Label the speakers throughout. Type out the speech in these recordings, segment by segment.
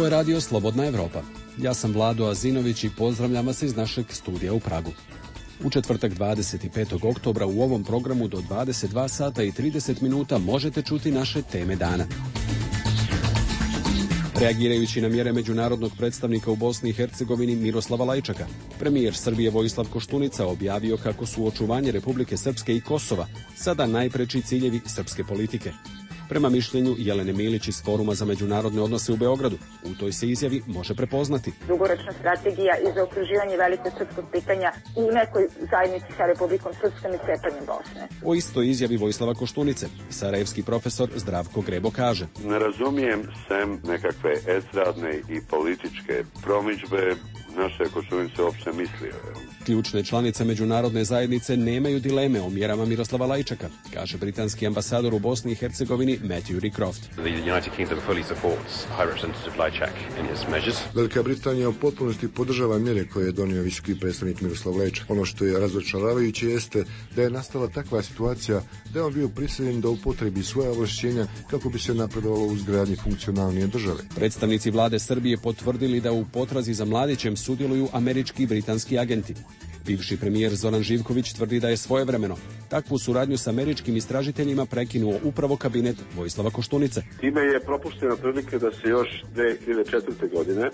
Speaker 1: Ovo je radio Slobodna Evropa. Ja sam Vlado Azinović i pozdravljam vas iz našeg studija u Pragu. U četvrtak 25. oktobra u ovom programu do 22 sata i 30 minuta možete čuti naše teme dana. Reagirajući na mjere međunarodnog predstavnika u Bosni i Hercegovini Miroslava Lajčaka, premijer Srbije Vojislav Koštunica objavio kako su očuvanje Republike Srpske i Kosova sada najpreči ciljevi srpske politike. Prema mišljenju Jelene Milić iz Foruma za međunarodne odnose u Beogradu, u toj se izjavi može prepoznati
Speaker 2: dugoročna strategija i zaokruživanje velikog srpskog pitanja u nekoj zajednici sa Republikom Srpskom i cepanjem Bosne.
Speaker 1: O istoj izjavi Vojislava Koštunice sarajevski profesor Zdravko Grebo kaže:
Speaker 3: Ne razumijem sem nekakve estradne i političke promidžbe naše Koštunice uopšte mislio.
Speaker 1: Ključne članice međunarodne zajednice nemaju dileme o mjerama Miroslava Lajčaka, kaže britanski ambasador u Bosni i Hercegovini Matthew Rycroft.
Speaker 4: Velika Britanija u potpunosti podržava mjere koje je donio visoki predstavnik Miroslav Lajčak. Ono što je razočaravajuće jeste da je nastala takva situacija da je on bio prisiljen da upotrebi svoja ovlašćenja kako bi se napredovalo u izgradnji funkcionalnije države.
Speaker 1: Predstavnici vlade Srbije potvrdili da u potrazi za Mladićem sudjeluju američki i britanski agenti. Bivši premijer Zoran Živković tvrdi da je svojevremeno takvu suradnju s američkim istražiteljima prekinuo upravo kabinet Vojislava Koštunice.
Speaker 3: Time je propuštena prilike da se još 2004. godine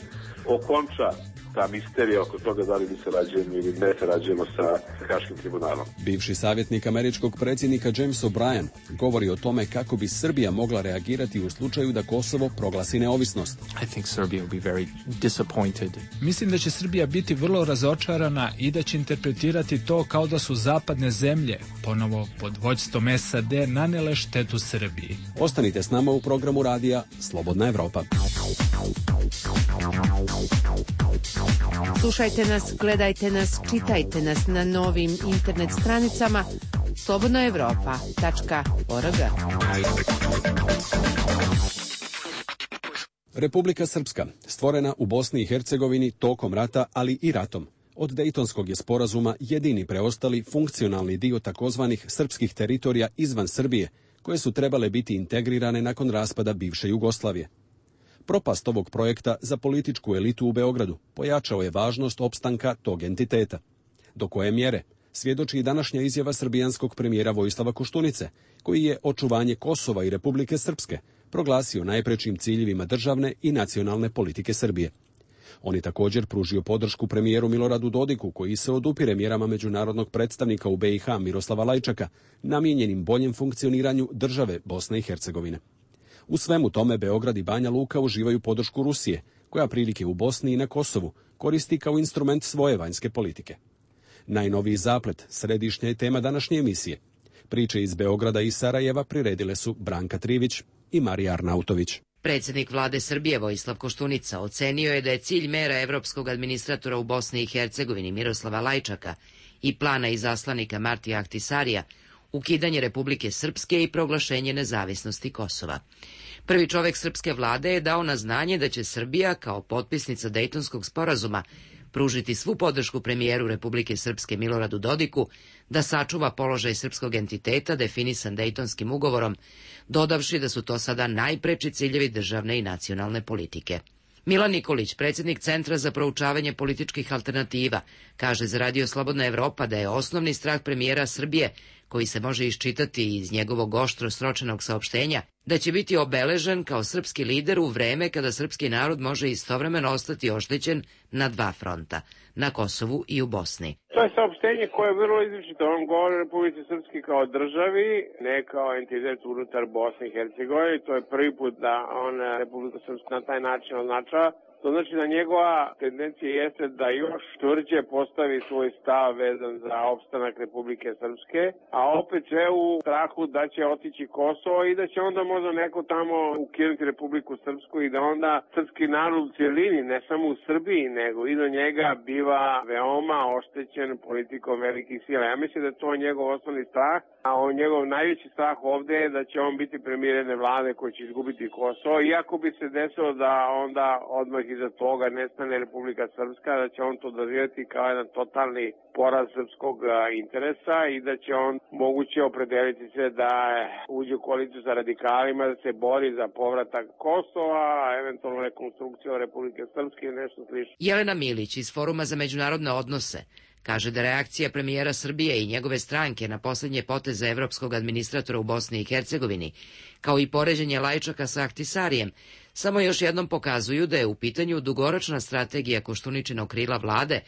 Speaker 3: okonča ta misterija oko toga da li mi sarađujemo ili ne sarađujemo sa Haškim tribunalom.
Speaker 1: Bivši savjetnik američkog predsjednika James O'Brien govori o tome kako bi Srbija mogla reagirati u slučaju da Kosovo proglasi neovisnost.
Speaker 5: Mislim da će Srbija biti vrlo razočarana i da će interpretirati to kao da su zapadne zemlje, ponovo pod vođstvom SAD, nanele štetu Srbiji.
Speaker 1: Ostanite s nama u programu radija Slobodna Evropa.
Speaker 6: Slušajte nas, gledajte nas, čitajte nas na novim internet stranicama slobodnaevropa.org.
Speaker 1: Republika Srpska, stvorena u Bosni i Hercegovini tokom rata, ali i ratom. Od Dejtonskog je sporazuma jedini preostali funkcionalni dio takozvanih srpskih teritorija izvan Srbije, koje su trebale biti integrirane nakon raspada bivše Jugoslavije. Propast ovog projekta za političku elitu u Beogradu pojačao je važnost opstanka tog entiteta. Do koje mjere svjedoči i današnja izjava srbijanskog premijera Vojislava Koštunice, koji je očuvanje Kosova i Republike Srpske proglasio najprečim ciljevima državne i nacionalne politike Srbije. On je također pružio podršku premijeru Miloradu Dodiku, koji se odupire mjerama međunarodnog predstavnika u BiH Miroslava Lajčaka, namijenjenim boljem funkcioniranju države Bosne i Hercegovine. U svemu tome Beograd i Banja Luka uživaju podršku Rusije, koja prilike u Bosni i na Kosovu koristi kao instrument svoje vanjske politike. Najnoviji zaplet središnja je tema današnje emisije. Priče iz Beograda i Sarajeva priredile su Branka Trivić i Marija Arnautović.
Speaker 7: Predsjednik vlade Srbije Vojislav Koštunica ocenio je da je cilj mera evropskog administratora u Bosni i Hercegovini Miroslava Lajčaka i plana izaslanika Martija Ahtisarija ukidanje Republike Srpske i proglašenje nezavisnosti Kosova. Prvi čovjek srpske vlade je dao na znanje da će Srbija, kao potpisnica Dejtonskog sporazuma, pružiti svu podršku premijeru Republike Srpske Miloradu Dodiku da sačuva položaj srpskog entiteta definisan Dejtonskim ugovorom, dodavši da su to sada najpreči ciljevi državne i nacionalne politike. Milan Nikolić, predsjednik Centra za proučavanje političkih alternativa, kaže za Radio Slobodna Evropa da je osnovni strah premijera Srbije, koji se može iščitati iz njegovog oštro sročenog saopštenja, da će biti obeležen kao srpski lider u vreme kada srpski narod može istovremeno ostati oštećen na dva fronta, na Kosovu i u Bosni.
Speaker 8: To je saopštenje koje je vrlo izričito. On govori o Republici Srpski kao državi, ne kao entitet unutar Bosne i Hercegovine. To je prvi put da on Republiku Srpsku na taj način označava. To znači da njegova tendencija jeste da još tvrđe postavi svoj stav vezan za opstanak Republike Srpske, a opet sve u strahu da će otići Kosovo i da će onda možda neko tamo ukinuti Republiku Srpsku i da onda srpski narod u cijelini, ne samo u Srbiji, nego i do njega biva veoma oštećen politikom velikih sila. Ja mislim da je to njegov osnovni strah, a njegov najveći strah ovdje je da će on biti premijer jedne vlade koji će izgubiti Kosovo, iako bi se desilo da onda odmah iza toga ne stane Republika Srpska, da će on to doživjeti kao jedan totalni poraz srpskog interesa i da će on moguće opredeliti se da uđe u koaliciju sa radikalima, da se bori za povratak Kosova, eventualno rekonstrukciju Republike Srpske i nešto slično.
Speaker 7: Jelena Milić iz Foruma za međunarodne odnose kaže da reakcija premijera Srbije i njegove stranke na posljednje poteze evropskog administratora u Bosni i Hercegovini, kao i poređenje Lajčaka sa Ahtisarijem, samo još jednom pokazuju da je u pitanju dugoročna strategija Koštuničinog krila vlade,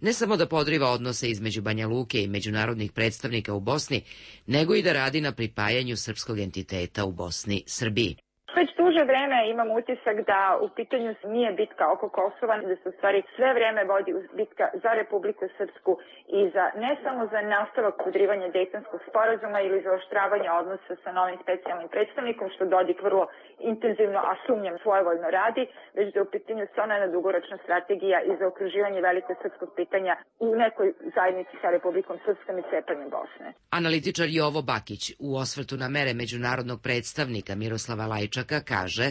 Speaker 7: ne samo da podriva odnose između Banja Luke i međunarodnih predstavnika u Bosni, nego i da radi na pripajanju srpskog entiteta u Bosni Srbiji.
Speaker 2: Već duže vreme imam utisak da u pitanju nije bitka oko Kosova, da se u stvari sve vreme vodi bitka za Republiku Srpsku i za ne samo za nastavak podrivanja Dejtonskog sporazuma ili za oštravanje odnosa sa novim specijalnim predstavnikom, što Dodik vrlo intenzivno, a sumnjam svojevoljno radi, već da u pitanju se ona jedna dugoročna strategija i za okruživanje velikog srpskog pitanja u nekoj zajednici sa Republikom Srpskom i cepanjem Bosne.
Speaker 7: Analitičar Jovo Bakić u osvrtu na mere međunarodnog predstavnika Miroslava Lajčaka kaže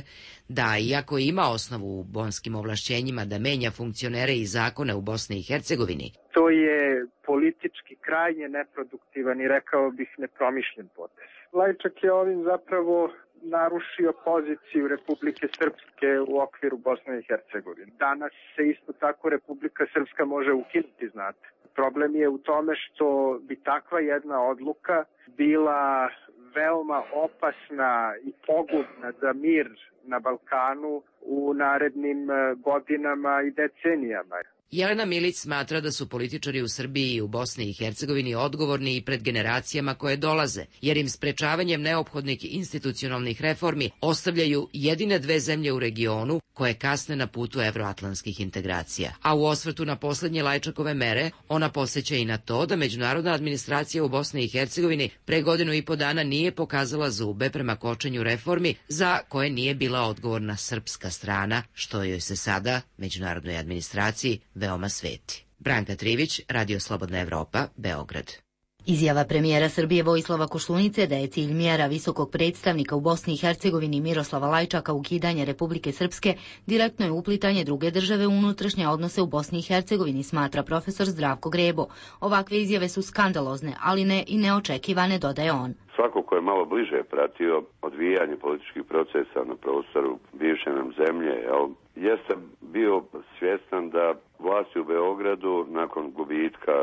Speaker 7: da, iako ima osnovu u bonskim ovlašćenjima da menja funkcionere i zakone u Bosni i Hercegovini,
Speaker 9: to je politički krajnje neproduktivan i rekao bih nepromišljen potez. Lajčak je ovim zapravo narušio poziciju Republike Srpske u okviru Bosne i Hercegovine. Danas se isto tako Republika Srpska može ukinuti, znate. Problem je u tome što bi takva jedna odluka bila veoma opasna i pogubna za mir na Balkanu u narednim godinama i decenijama.
Speaker 7: Jelena Milić smatra da su političari u Srbiji i u Bosni i Hercegovini odgovorni i pred generacijama koje dolaze, jer im sprečavanjem neophodnih institucionalnih reformi ostavljaju jedine dve zemlje u regionu koje kasne na putu evroatlantskih integracija. A u osvrtu na posljednje Lajčakove mere, ona podsjeća i na to da međunarodna administracija u Bosni i Hercegovini pre 1,5 dana nije pokazala zube prema kočenju reformi za koje nije bila odgovorna srpska strana, što joj se sada, međunarodnoj administraciji, veoma sveti. Branka Trivić, Radio Slobodna Evropa, Beograd.
Speaker 10: Izjava premijera Srbije Vojislava Koštunice da je cilj mjera visokog predstavnika u Bosni i Hercegovini Miroslava Lajčaka ukidanje Republike Srpske direktno je uplitanje druge države u unutrašnje odnose u Bosni i Hercegovini, smatra profesor Zdravko Grebo. Ovakve izjave su skandalozne, ali ne i neočekivane, dodaje on.
Speaker 11: Svako ko je malo bliže pratio odvijanje političkih procesa na prostoru bivše nam zemlje, jeste bio svjestan da vlasti u Beogradu nakon gubitka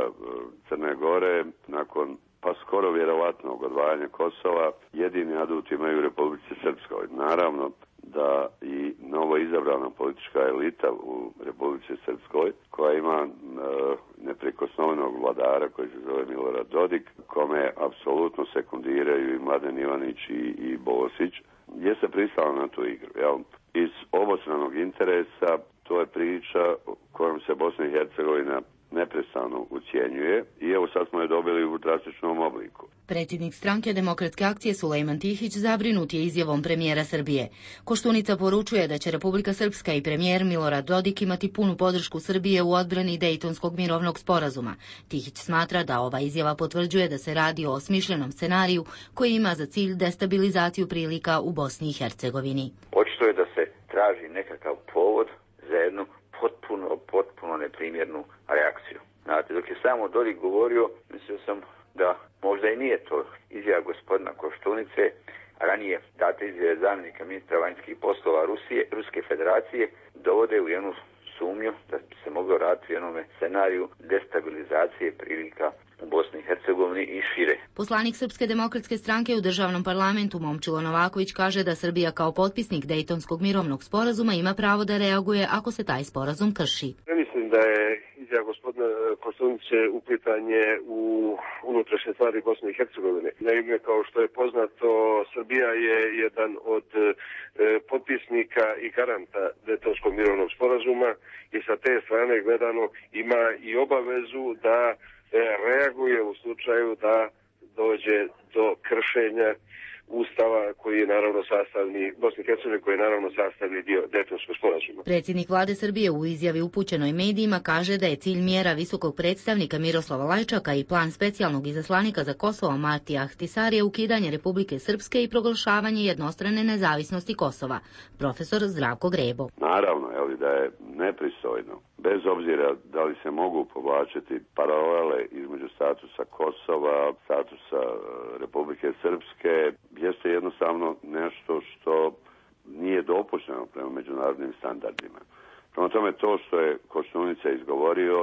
Speaker 11: Crne Gore, nakon pa skoro vjerovatnog odvajanja Kosova, jedini adut imaju u Republici Srpskoj. Naravno da i novo izabrana politička elita u Republici Srpskoj, koja ima neprikosnovenog vladara koji se zove Milorad Dodik, kome apsolutno sekundiraju i Mladen Ivanić i Bosić, je se pristala na tu igru. Iz obostranog interesa to je priča kojom se Bosna i Hercegovina neprestano ucijenjuje i evo sad smo je dobili u drastičnom obliku.
Speaker 10: Predsjednik stranke Demokratske akcije Sulejman Tihić zabrinut je izjavom premijera Srbije. Koštunica poručuje da će Republika Srpska i premijer Milorad Dodik imati punu podršku Srbije u odbrani Dejtonskog mirovnog sporazuma. Tihić smatra da ova izjava potvrđuje da se radi o osmišljenom scenariju koji ima za cilj destabilizaciju prilika u Bosni i Hercegovini.
Speaker 12: Očito je da se traži nekakav povod za jednu potpuno neprimjernu reakciju. Znate, dok je samo Dodik govorio, mislio sam da možda i nije to izjava gospodina Koštunice, ranije date izjave zamjenika ministra vanjskih poslova Ruske federacije, dovode u jednu sumnju da bi se moglo raditi u jednom scenariju destabilizacije prilika u Bosni i Hercegovini i šire.
Speaker 10: Poslanik Srpske demokratske stranke u državnom parlamentu Momčilo Novaković kaže da Srbija kao potpisnik Dejtonskog mirovnog sporazuma ima pravo da reaguje ako se taj sporazum krši.
Speaker 13: Ne mislim da je izjava gospodina Koštunice uplitanje u unutrašnje stvari Bosne i Hercegovine. Naime, kao što je poznato, Srbija je jedan od potpisnika i garanta Dejtonskog mirovnog sporazuma i sa te strane gledano ima i obavezu da reaguje u slučaju da dođe do kršenja Ustava koji je naravno sastavni, Bosne i Hercegovine koji je naravno sastavni dio Dejtonskog sporazuma.
Speaker 10: Predsjednik vlade Srbije u izjavi upućenoj medijima kaže da je cilj mjera visokog predstavnika Miroslava Lajčaka i plan specijalnog izaslanika za Kosovo Martija Ahtisarija ukidanje Republike Srpske i proglašavanje jednostrane nezavisnosti Kosova. Profesor Zdravko Grebo.
Speaker 11: Naravno, da je nepristojno, bez obzira da li se mogu povlačiti paralele između statusa Kosova, statusa Republike Srpske, jeste jednostavno nešto što nije dopušteno prema međunarodnim standardima. Prema tome, to što je Koštunica izgovorio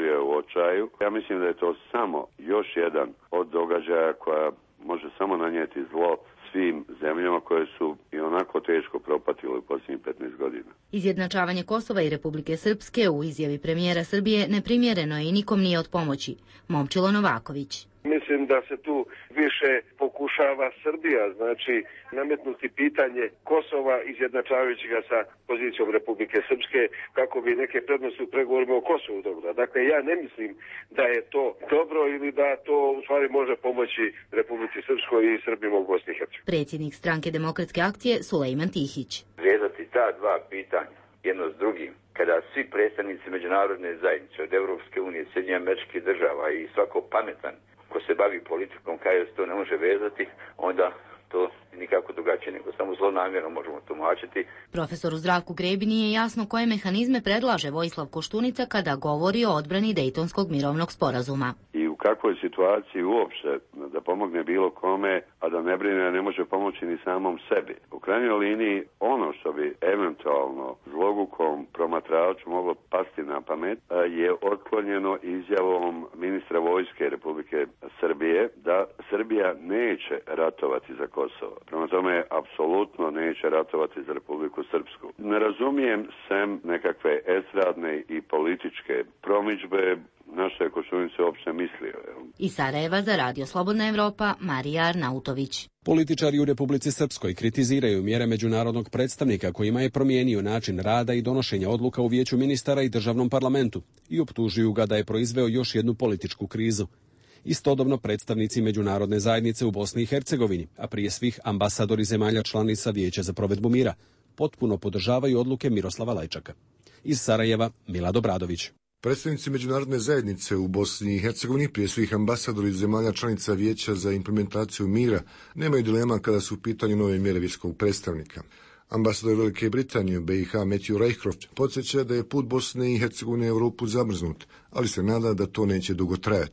Speaker 11: je u očaju. Ja mislim da je to samo još jedan od događaja koja može samo nanijeti zlo svim zemljama koje su i onako teško propatile u posljednjih 15 godina.
Speaker 10: Izjednačavanje Kosova i Republike Srpske u izjavi premijera Srbije neprimjereno je i nikom nije od pomoći. Momčilo Novaković.
Speaker 13: Mislim da se tu više pokušava Srbija, znači nametnuti pitanje Kosova izjednačavajući ga sa pozicijom Republike Srpske kako bi neke prednosti u pregovorima o Kosovu dobro. Dakle, ja ne mislim da je to dobro ili da to u stvari može pomoći Republici Srpskoj i Srbima u Bosni i Hercegovini.
Speaker 10: Predsjednik Stranke demokratske akcije Sulejman Tihić.
Speaker 12: Vezati ta dva pitanja jedno s drugim, kada svi predstavnici međunarodne zajednice od Europske unije, Sjedinjenih Američkih Država i svako pametan ko se bavi politikom kaže da se to ne može vezati, onda to nikako drugačije nego samo zlonamjerno možemo tumačiti.
Speaker 10: Profesoru Zdravku Grebi nije jasno koje mehanizme predlaže Vojislav Koštunica kada govori o odbrani Dejtonskog mirovnog sporazuma.
Speaker 11: I u kakvoj situaciji uopšte da pomogne bilo kome, a da ne brine, ne može pomoći ni samom sebi. U krajnjoj liniji ono što bi eventualno zlogukom promatraču moglo pasti na pamet je otklonjeno izjavom ministra vojske Republike Srbije da Srbija neće ratovati za Kosovo. Prema tome, apsolutno neće ratovati za Republiku Srpsku. Ne razumijem sem nekakve estradne i političke promidžbe na što je Koštunica uopšte mislio.
Speaker 10: Iz Sarajeva za Radio Slobodna Evropa, Marija Arnautović.
Speaker 1: Političari u Republici Srpskoj kritiziraju mjere međunarodnog predstavnika kojima je promijenio način rada i donošenja odluka u Vijeću ministara i državnom parlamentu i optužuju ga da je proizveo još jednu političku krizu. Istodobno predstavnici međunarodne zajednice u Bosni i Hercegovini, a prije svih ambasadori zemalja članica Vijeća za provedbu mira, potpuno podržavaju odluke Miroslava Lajčaka. Iz Sarajeva, Milad Obradović.
Speaker 4: Predstavnici međunarodne zajednice u Bosni i Hercegovini, prije svih ambasadori zemalja članica Vijeća za implementaciju mira, nemaju dilema kada su u pitanju nove mjere visokog predstavnika. Ambasador Velike Britanije u BiH Matthew Rycroft podsjeća da je put Bosne i Hercegovine u Europu zamrznut, ali se nada da to neće dugo trajati.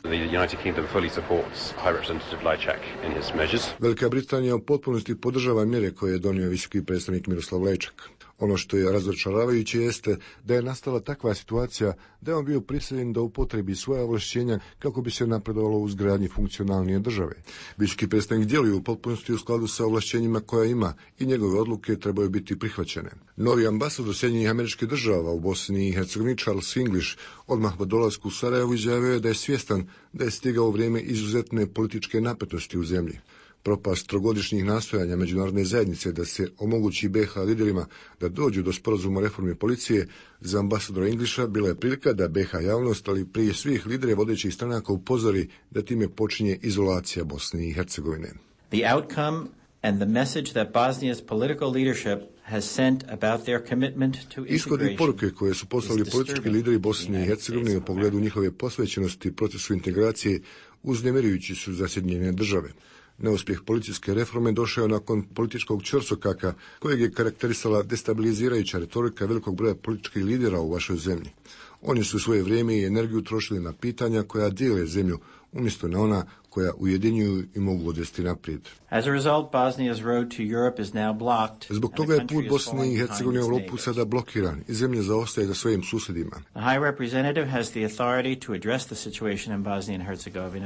Speaker 4: Velika Britanija u potpunosti podržava mjere koje je donio visoki predstavnik Miroslav Lajčak. Ono što je razočaravajuće jeste da je nastala takva situacija da je on bio prisiljen da upotrebi svoja ovlašćenja kako bi se napredovalo u izgradnji funkcionalnije države. Visoki predstavnik djeluje u potpunosti u skladu sa ovlašćenjima koja ima i njegove odluke trebaju biti prihvaćene. Novi ambasador Sjedinjenih Američkih Država u Bosni i Hercegovini Charles English odmah po dolasku u Sarajevo izjavio je da je svjestan da je stigao vrijeme izuzetne političke napetosti u zemlji. Propast trogodišnjih nastojanja međunarodne zajednice da se omogući BiH liderima da dođu do sporazuma o reformi policije za ambasadora Englisha bila je prilika da BiH javnost, ali prije svih lidera vodećih stranaka upozori da time počinje izolacija Bosne i Hercegovine.
Speaker 14: The outcome and the message that Bosnia's political leadership has sent about their commitment to integration. Ishod i poruke koje su poslali politički lideri Bosne i Hercegovine u pogledu njihove posvećenosti procesu integracije uznemirujući su za Sjedinjene Države. Neuspjeh policijske reforme došao je nakon političkog ćorsokaka kojeg je karakterisala destabilizirajuća retorika velikog broja političkih lidera u vašoj zemlji. Oni su svoje vrijeme i energiju trošili na pitanja koja dijele zemlju, umjesto na ona koja ujedinjuju i mogu odvesti naprijed. Zbog toga je put Bosne i Hercegovine u Europu sada blokiran i zemlja zaostaje za svojim susjedima.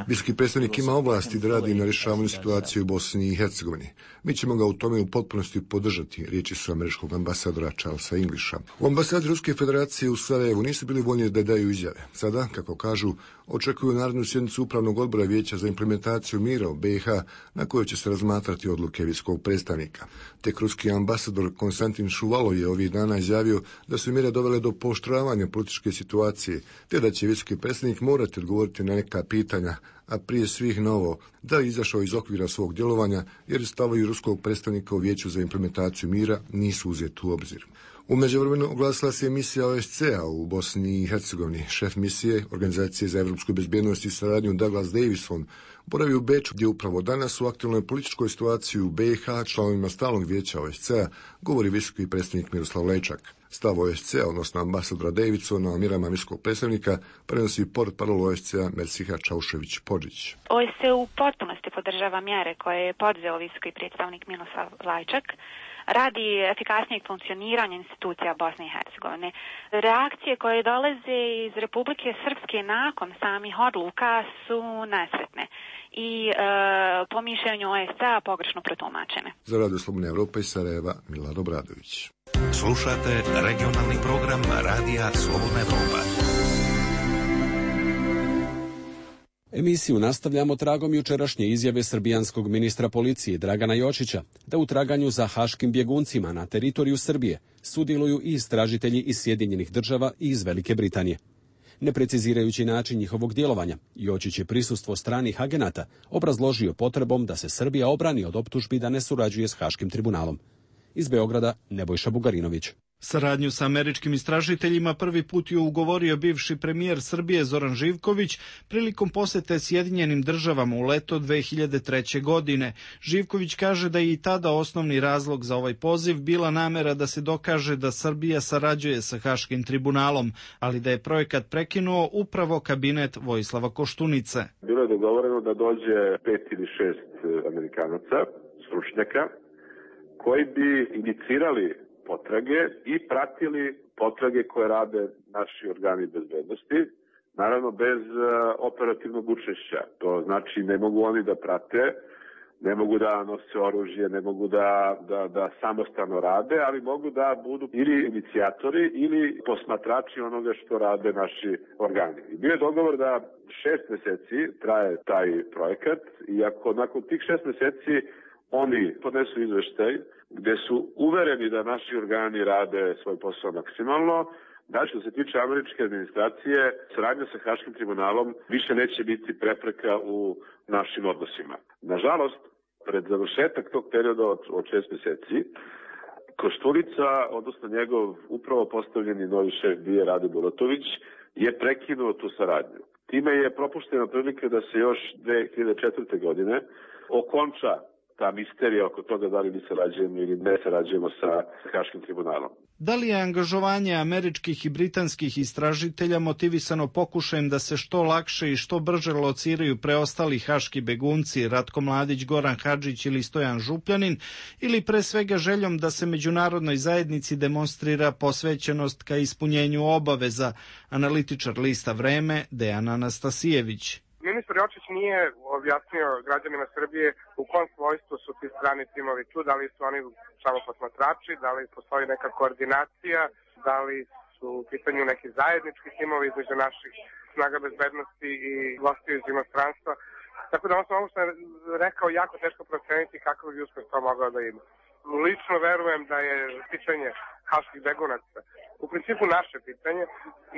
Speaker 14: Visoki predstavnik ima ovlasti da radi na rješavanju situacije u Bosni i Hercegovini. Mi ćemo ga u tome u potpunosti podržati, riječi su američkog ambasadora Charlesa Englisha. U ambasadi Ruske federacije u Sarajevu nisu bili voljni da daju izjave. Sada, kako kažu, očekuju narednu sjednicu upravnog odbora Vijeća za
Speaker 4: implementaciju mira u BiH, na kojoj će se razmatrati odluke visokog predstavnika. Tek ruski ambasador Konstantin Šuvalov je ovih dana izjavio da su mjere dovele do pooštravanja političke situacije, te da će visoki predstavnik morati odgovoriti na neka pitanja, a prije svih na ovo, da je izašao iz okvira svog djelovanja jer stavovi ruskog predstavnika u Vijeću za implementaciju mira nisu uzeti u obzir. U međuvremenu oglasila se misija OSCE-a u Bosni i Hercegovini. Šef misije Organizacije za evropsku bezbjednost i saradnju Douglas Davison boravi u Beču, gdje upravo danas u aktualnoj političkoj situaciji u BiH članovima stalnog vijeća OSCE-a govori visoki predstavnik Miroslav Lajčak. Stav OSCE-a, odnosno ambasadora Davidsona o mjerama visokog predstavnika, prenosi portparol OSCE-a Merciha Čaušević-Podžić.
Speaker 15: OSCE u potpunosti podržava mjere koje je poduzeo visoki predstavnik Miroslav Lajčak radi efikasnijeg funkcioniranja institucija Bosne i Hercegovine. Reakcije koje dolaze iz Republike Srpske nakon samih odluka su nesretne i po mišljenju OSCE-a pogrešno protumačene.
Speaker 4: Za Radio Slobodne Evrope iz Sarajeva, Milad Obradović.
Speaker 16: Slušate regionalni program Radija Slobodna Evropa.
Speaker 1: Emisiju nastavljamo tragom jučerašnje izjave srbijanskog ministra policije Dragana Jočića da u traganju za haškim bjeguncima na teritoriju Srbije sudjeluju i istražitelji iz Sjedinjenih Država i iz Velike Britanije. Ne precizirajući način njihovog djelovanja, Jočić je prisustvo stranih agenata obrazložio potrebom da se Srbija obrani od optužbi da ne surađuje s Haškim tribunalom. Iz Beograda Nebojša Bugarinović.
Speaker 17: Saradnju sa američkim istražiteljima prvi put je ugovorio bivši premijer Srbije Zoran Živković prilikom posjete Sjedinjenim Državama u leto 2003. godine. Živković kaže da je i tada osnovni razlog za ovaj poziv bila namera da se dokaže da Srbija sarađuje sa Haškim tribunalom, ali da je projekat prekinuo upravo kabinet Vojislava Koštunice.
Speaker 3: Bilo je dogovoreno da dođe 5 ili 6 Amerikanaca, stručnjaka, koji bi inicirali potrage i pratili potrage koje rade naši organi bezbednosti, naravno bez operativnog učešća. To znači ne mogu oni da prate, ne mogu da nose oružje, ne mogu da samostalno rade, ali mogu da budu ili inicijatori ili posmatrači onoga što rade naši organi. I bio je dogovor da 6 mjeseci traje taj projekat i ako nakon tih 6 mjeseci oni podnesu izveštaj gdje su uvereni da naši organi rade svoj posao maksimalno, da što se tiče američke administracije, saradnja sa Haškim tribunalom više neće biti prepreka u našim odnosima. Nažalost, pred završetak tog perioda od 6 mjeseci, Koštunica, odnosno njegov upravo postavljeni novi šef BIA Rade Bulatović, je prekinuo tu saradnju. Time je propuštena prilika da se još 2004. godine okonča ta misterija oko toga da li mi sarađujemo ili ne sarađujemo sa Haškim tribunalom.
Speaker 17: Da li je angažovanje američkih i britanskih istražitelja motivisano pokušajem da se što lakše i što brže lociraju preostali haški begunci Ratko Mladić, Goran Hadžić ili Stojan Župljanin, ili pre svega željom da se međunarodnoj zajednici demonstrira posvećenost ka ispunjenju obaveza, analitičar lista Vreme Dejan Anastasijević.
Speaker 9: Ministar Jočić nije objasnio građanima Srbije u kom svojstvu su ti strani timovi tu, da li su oni samo posmatrači, da li postoji neka koordinacija, da li su u pitanju neki zajednički timovi između naših snaga bezbednosti i gostiju iz inostranstva. Tako da ovo što je rekao jako teško proceniti kakav bi uspeh to mogao da ima. Lično verujem da je pitanje haških begunaca u principu naše pitanje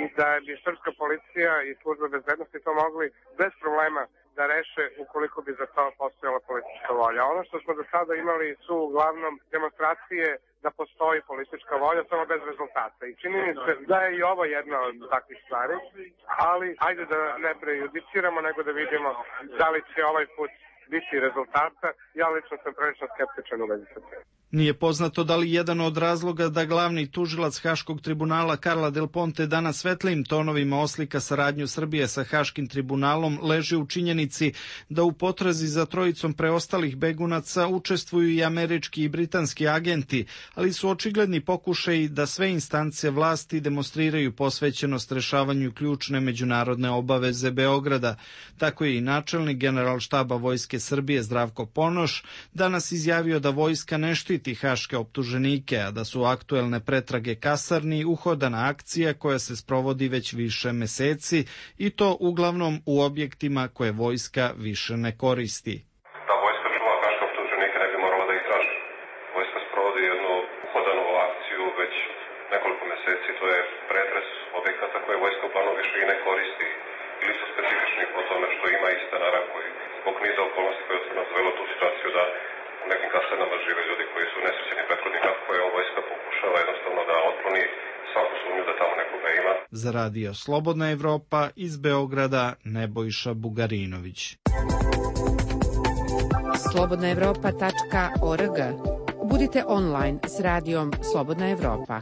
Speaker 9: i da bi srpska policija i služba bezbednosti to mogli bez problema da reše ukoliko bi za to postojala politička volja. Ono što smo do sada imali su uglavnom demonstracije da postoji politička volja, samo bez rezultata. I čini mi se da je i ovo jedna od takvih stvari, ali ajde da ne prejudiciramo, nego da vidimo da li će ovaj put biti rezultata. Ja lično sam prilično skeptičan u vezi sa tim.
Speaker 17: Nije poznato da li jedan od razloga da glavni tužilac Haškog tribunala Karla Del Ponte danas svetlijim tonovima oslika saradnju Srbije sa Haškim tribunalom leži u činjenici da u potrazi za trojicom preostalih begunaca učestvuju i američki i britanski agenti, ali su očigledni pokušaji da sve instance vlasti demonstriraju posvećenost rešavanju ključne međunarodne obaveze Beograda. Tako je i načelnik Generalštaba Vojske Srbije Zdravko Ponoš danas izjavio da vojska ne štiti štiti haške optuženike, a da su aktuelne pretrage kasarni uhodana akcija koja se sprovodi već više meseci i to uglavnom u objektima koje vojska više ne koristi.
Speaker 18: Da vojska čuva haške optuženike ne bi morala da ih traži. Vojska sprovodi jednu uhodanu akciju već nekoliko meseci, to je pretres objekata koje vojska uglavnom više i ne koristi ili su specifični po tome što ima i stanara koji zbog niza okolnosti koje su nas dovelo tu situaciju da u nekim kasarnama žive ljudi koji su nesrećeni prethodnika koje vojska pokušava jednostavno da otkloni svaku sumnju da tamo nekoga ima.
Speaker 17: Za radio Slobodna Evropa iz Beograda Nebojša Bugarinović.
Speaker 6: slobodnaevropa.org. Budite online s radijom Slobodna Evropa.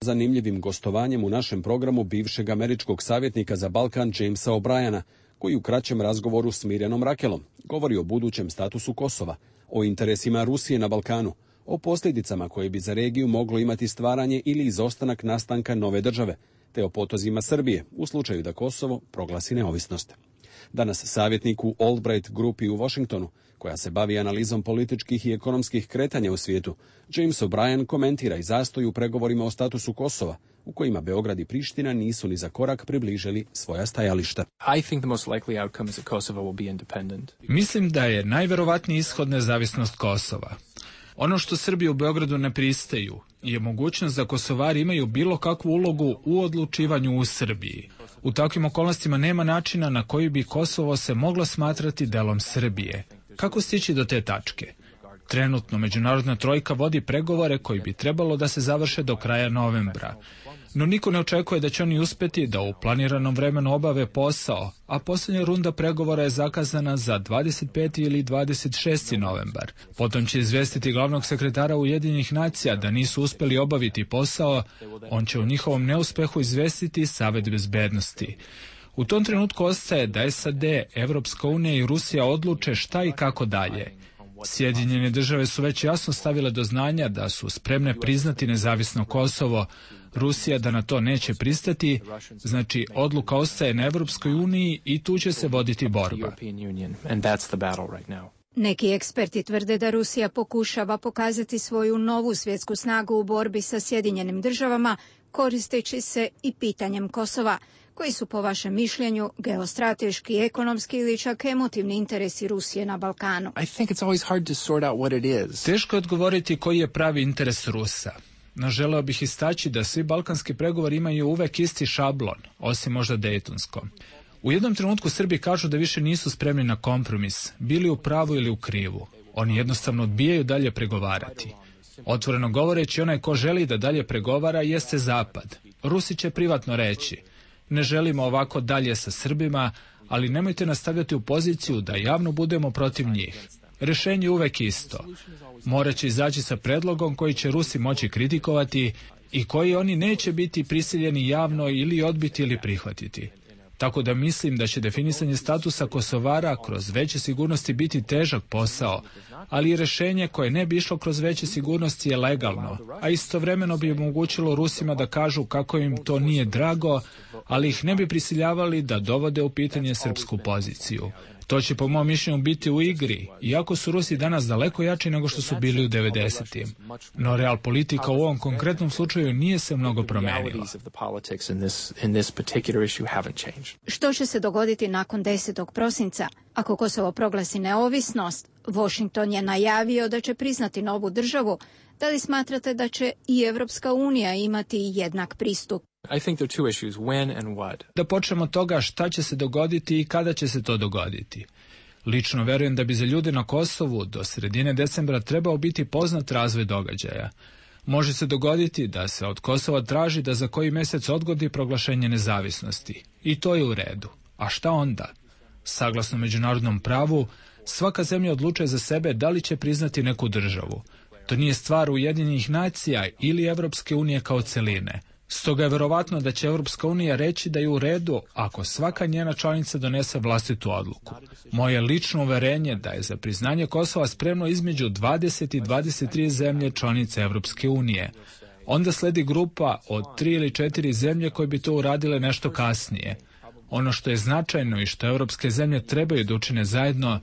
Speaker 1: Zanimljivim gostovanjem u našem programu bivšeg američkog savjetnika za Balkan Jamesa O'Briana, koji u kraćem razgovoru s Mirjanom Rakelom govori o budućem statusu Kosova, o interesima Rusije na Balkanu, o posljedicama koje bi za regiju moglo imati stvaranje ili izostanak nastanka nove države, te o potezima Srbije u slučaju da Kosovo proglasi neovisnost. Danas savjetnik u Albright grupi u Washingtonu, koja se bavi analizom političkih i ekonomskih kretanja u svijetu, James O'Brien komentira i zastoj u pregovorima o statusu Kosova, u kojima Beograd i Priština nisu ni za korak približili svoja stajališta.
Speaker 5: Mislim da je najverovatniji ishod nezavisnost Kosova. Ono što Srbi u Beogradu ne pristaju je mogućnost da Kosovari imaju bilo kakvu ulogu u odlučivanju u Srbiji. U takvim okolnostima nema načina na koji bi Kosovo se moglo smatrati delom Srbije. Kako stići do te tačke? Trenutno međunarodna trojka vodi pregovore koji bi trebalo da se završe do kraja novembra. No niko ne očekuje da će oni uspjeti da u planiranom vremenu obave posao, a posljednja runda pregovora je zakazana za 25. ili 26. novembar. Potom će izvestiti glavnog sekretara Ujedinjenih nacija da nisu uspjeli obaviti posao, on će u njihovom neuspehu izvestiti Savet bezbednosti. U tom trenutku ostaje da SAD, Evropska unija i Rusija odluče šta i kako dalje. Sjedinjene države su već jasno stavile do znanja da su spremne priznati nezavisno Kosovo, Rusija da na to neće pristati, znači odluka ostaje na Evropskoj uniji i tu će se voditi borba.
Speaker 19: Neki eksperti tvrde da Rusija pokušava pokazati svoju novu svjetsku snagu u borbi sa Sjedinjenim državama, koristeći se i pitanjem Kosova. Koji su po vašem mišljenju geostrateški, ekonomski ili čak emotivni interesi Rusije na Balkanu?
Speaker 5: Teško je odgovoriti koji je pravi interes Rusa. No želeo bih istaći da svi balkanski pregovori imaju uvek isti šablon, osim možda Dejtonskom. U jednom trenutku Srbi kažu da više nisu spremni na kompromis, bili u pravu ili u krivu. Oni jednostavno odbijaju dalje pregovarati. Otvoreno govoreći, onaj ko želi da dalje pregovara jeste Zapad. Rusi će privatno reći: ne želimo ovako dalje sa Srbima, ali nemojte nastavljati u poziciju da javno budemo protiv njih. Rješenje je uvek isto. Morat će izaći sa predlogom koji će Rusi moći kritikovati i koji oni neće biti prisiljeni javno ili odbiti ili prihvatiti. Tako da mislim da će definisanje statusa Kosovara kroz veće sigurnosti biti težak posao, ali i rješenje koje ne bi išlo kroz veće sigurnosti je legalno, a istovremeno bi omogućilo Rusima da kažu kako im to nije drago, ali ih ne bi prisiljavali da dovode u pitanje srpsku poziciju. To će po mom mišljenju biti u igri, iako su Rusi danas daleko jači nego što su bili u 90-im. No real politika u ovom konkretnom slučaju nije se mnogo promenila.
Speaker 19: Što će se dogoditi nakon 10. prosinca? Ako Kosovo proglasi neovisnost, Washington je najavio da će priznati novu državu. Da li smatrate da će i Evropska unija imati jednak pristup?
Speaker 5: Da počnemo od toga šta će se dogoditi i kada će se to dogoditi. Lično verujem da bi za ljude na Kosovu do sredine decembra trebao biti poznat razvoj događaja. Može se dogoditi da se od Kosova traži da za koji mjesec odgodi proglašenje nezavisnosti. I to je u redu. A šta onda? Saglasno međunarodnom pravu, svaka zemlja odlučuje za sebe da li će priznati neku državu. To nije stvar Ujedinjenih nacija ili Evropske unije kao celine. Stoga je verovatno da će Evropska unija reći da je u redu ako svaka njena članica donese vlastitu odluku. Moje lično uverenje da je za priznanje Kosova spremno između 20 i 23 zemlje članice Evropske unije. Onda sledi grupa od 3 ili 4 zemlje koje bi to uradile nešto kasnije. Ono što je značajno i što evropske zemlje trebaju da učine zajedno,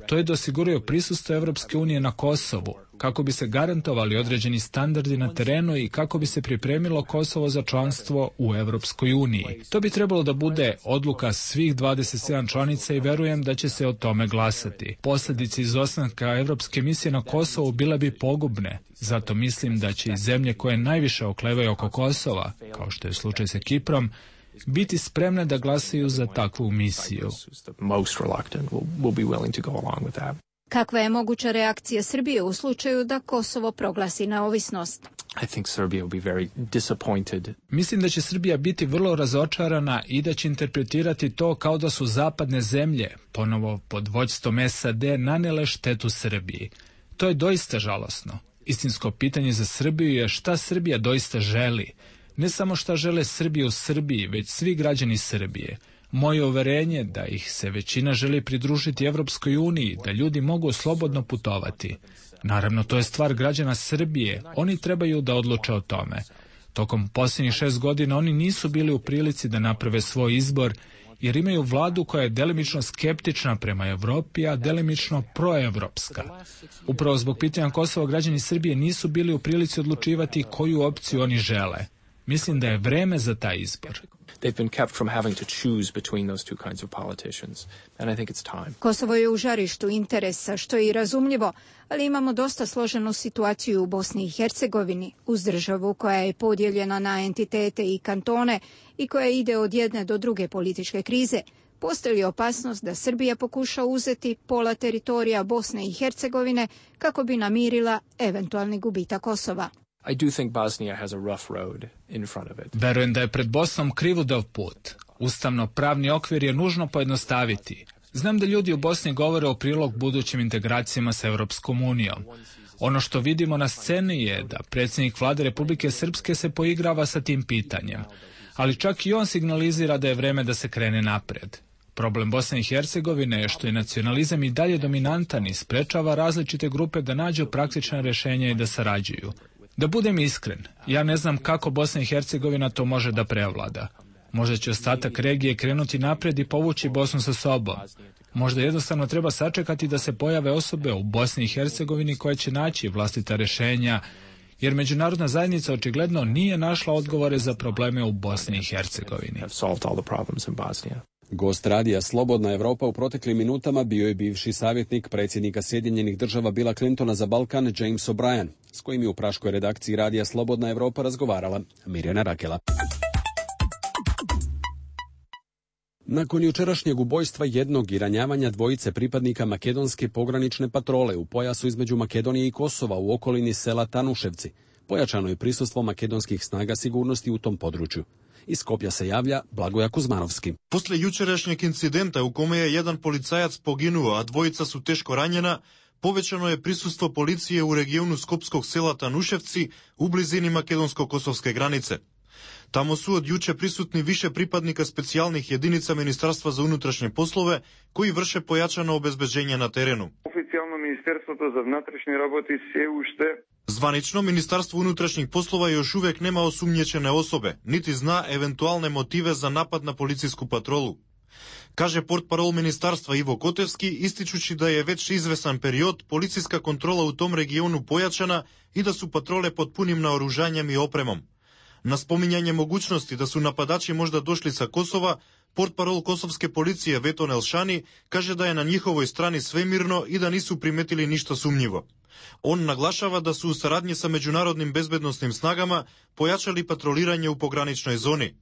Speaker 5: to je da osiguraju prisustvo Evropske unije na Kosovu, kako bi se garantovali određeni standardi na terenu i kako bi se pripremilo Kosovo za članstvo u Evropskoj uniji. To bi trebalo da bude odluka svih 27 članica i verujem da će se o tome glasati. Posljedice izostanka Evropske misije na Kosovu bile bi pogubne. Zato mislim da će i zemlje koje najviše oklevaju oko Kosova, kao što je slučaj sa Kiprom, biti spremne da glasaju za takvu misiju.
Speaker 19: Kakva je moguća reakcija Srbije u slučaju da Kosovo proglasi neovisnost?
Speaker 5: Mislim da će Srbija biti vrlo razočarana i da će interpretirati to kao da su zapadne zemlje, ponovo pod vođstvom SAD, nanele štetu Srbiji. To je doista žalosno. Istinsko pitanje za Srbiju je šta Srbija doista želi. Ne samo šta žele Srbi u Srbiji, već svi građani Srbije. Moje uverenje da ih se većina želi pridružiti Evropskoj uniji, da ljudi mogu slobodno putovati. Naravno, to je stvar građana Srbije, oni trebaju da odluče o tome. Tokom posljednjih 6 godina oni nisu bili u prilici da naprave svoj izbor, jer imaju vladu koja je delimično skeptična prema Evropi, a delimično proevropska. Upravo zbog pitanja Kosova građani Srbije nisu bili u prilici odlučivati koju opciju oni žele. Mislim da je vreme za taj izbor.
Speaker 19: Kosovo je u žarištu interesa, što je i razumljivo, ali imamo dosta složenu situaciju u Bosni i Hercegovini, uz državu koja je podijeljena na entitete i kantone i koja ide od jedne do druge političke krize. Postoji li opasnost da Srbija pokuša uzeti pola teritorija Bosne i Hercegovine kako bi namirila eventualni gubitak Kosova?
Speaker 5: Verujem da je pred Bosnom krivudav put. Ustavno-pravni okvir je nužno pojednostaviti. Znam da ljudi u Bosni govore o prilog budućim integracijama sa Europskom unijom. Ono što vidimo na sceni je da predsjednik vlade Republike Srpske se poigrava sa tim pitanjem. Ali čak i on signalizira da je vreme da se krene napred. Problem Bosne i Hercegovine je što je nacionalizam i dalje dominantan i sprečava različite grupe da nađu praktična rješenja i da sarađuju. Da budem iskren, ja ne znam kako Bosna i Hercegovina to može da prevlada. Možda će ostatak regije krenuti napred i povući Bosnu sa sobom. Možda jednostavno treba sačekati da se pojave osobe u Bosni i Hercegovini koje će naći vlastita rješenja, jer međunarodna zajednica očigledno nije našla odgovore za probleme u Bosni i Hercegovini.
Speaker 1: Gost radija Slobodna Evropa u proteklim minutama bio je bivši savjetnik predsjednika Sjedinjenih Država Billa Clintona za Balkan, James O'Brien, s kojim je u praškoj redakciji radija Slobodna Evropa razgovarala Mirjana Rakela. Nakon jučerašnjeg ubojstva jednog i ranjavanja dvojice pripadnika makedonske pogranične patrole u pojasu između Makedonije i Kosova u okolini sela Tanuševci, pojačano je prisustvo makedonskih snaga sigurnosti u tom području. Iz Skopja se javlja Blagoja Kuzmanovski.
Speaker 20: Posle jučerašnjeg incidenta u kome je jedan policajac poginuo, a dvojica su teško ranjena, povećano je prisustvo policije u regionu skopskog sela Tanuševci u blizini makedonsko-kosovske granice. Tamo su od juče prisutni više pripadnika specijalnih jedinica Ministarstva za unutrašnje poslove koji vrše pojačano obezbeđenje na terenu.
Speaker 21: Oficijalno Ministarstvo za внутрішні работи се уште
Speaker 20: Zvanično, Ministarstvo unutrašnjih poslova još uvijek nema osumnjičene osobe, niti zna eventualne motive za napad na policijsku patrolu. Kaže portparol ministarstva Ivo Kotevski, ističući da je već izvesan period policijska kontrola u tom regionu pojačana i da su patrole pod punim naoružanjem i opremom. Na spominjanje mogućnosti da su napadači možda došli sa Kosova, portparol kosovske policije Veton Elšani kaže da je na njihovoj strani sve mirno i da nisu primetili ništa sumnjivo. On naglašava da su u saradnji sa međunarodnim bezbednosnim snagama pojačali patroliranje u pograničnoj zoni.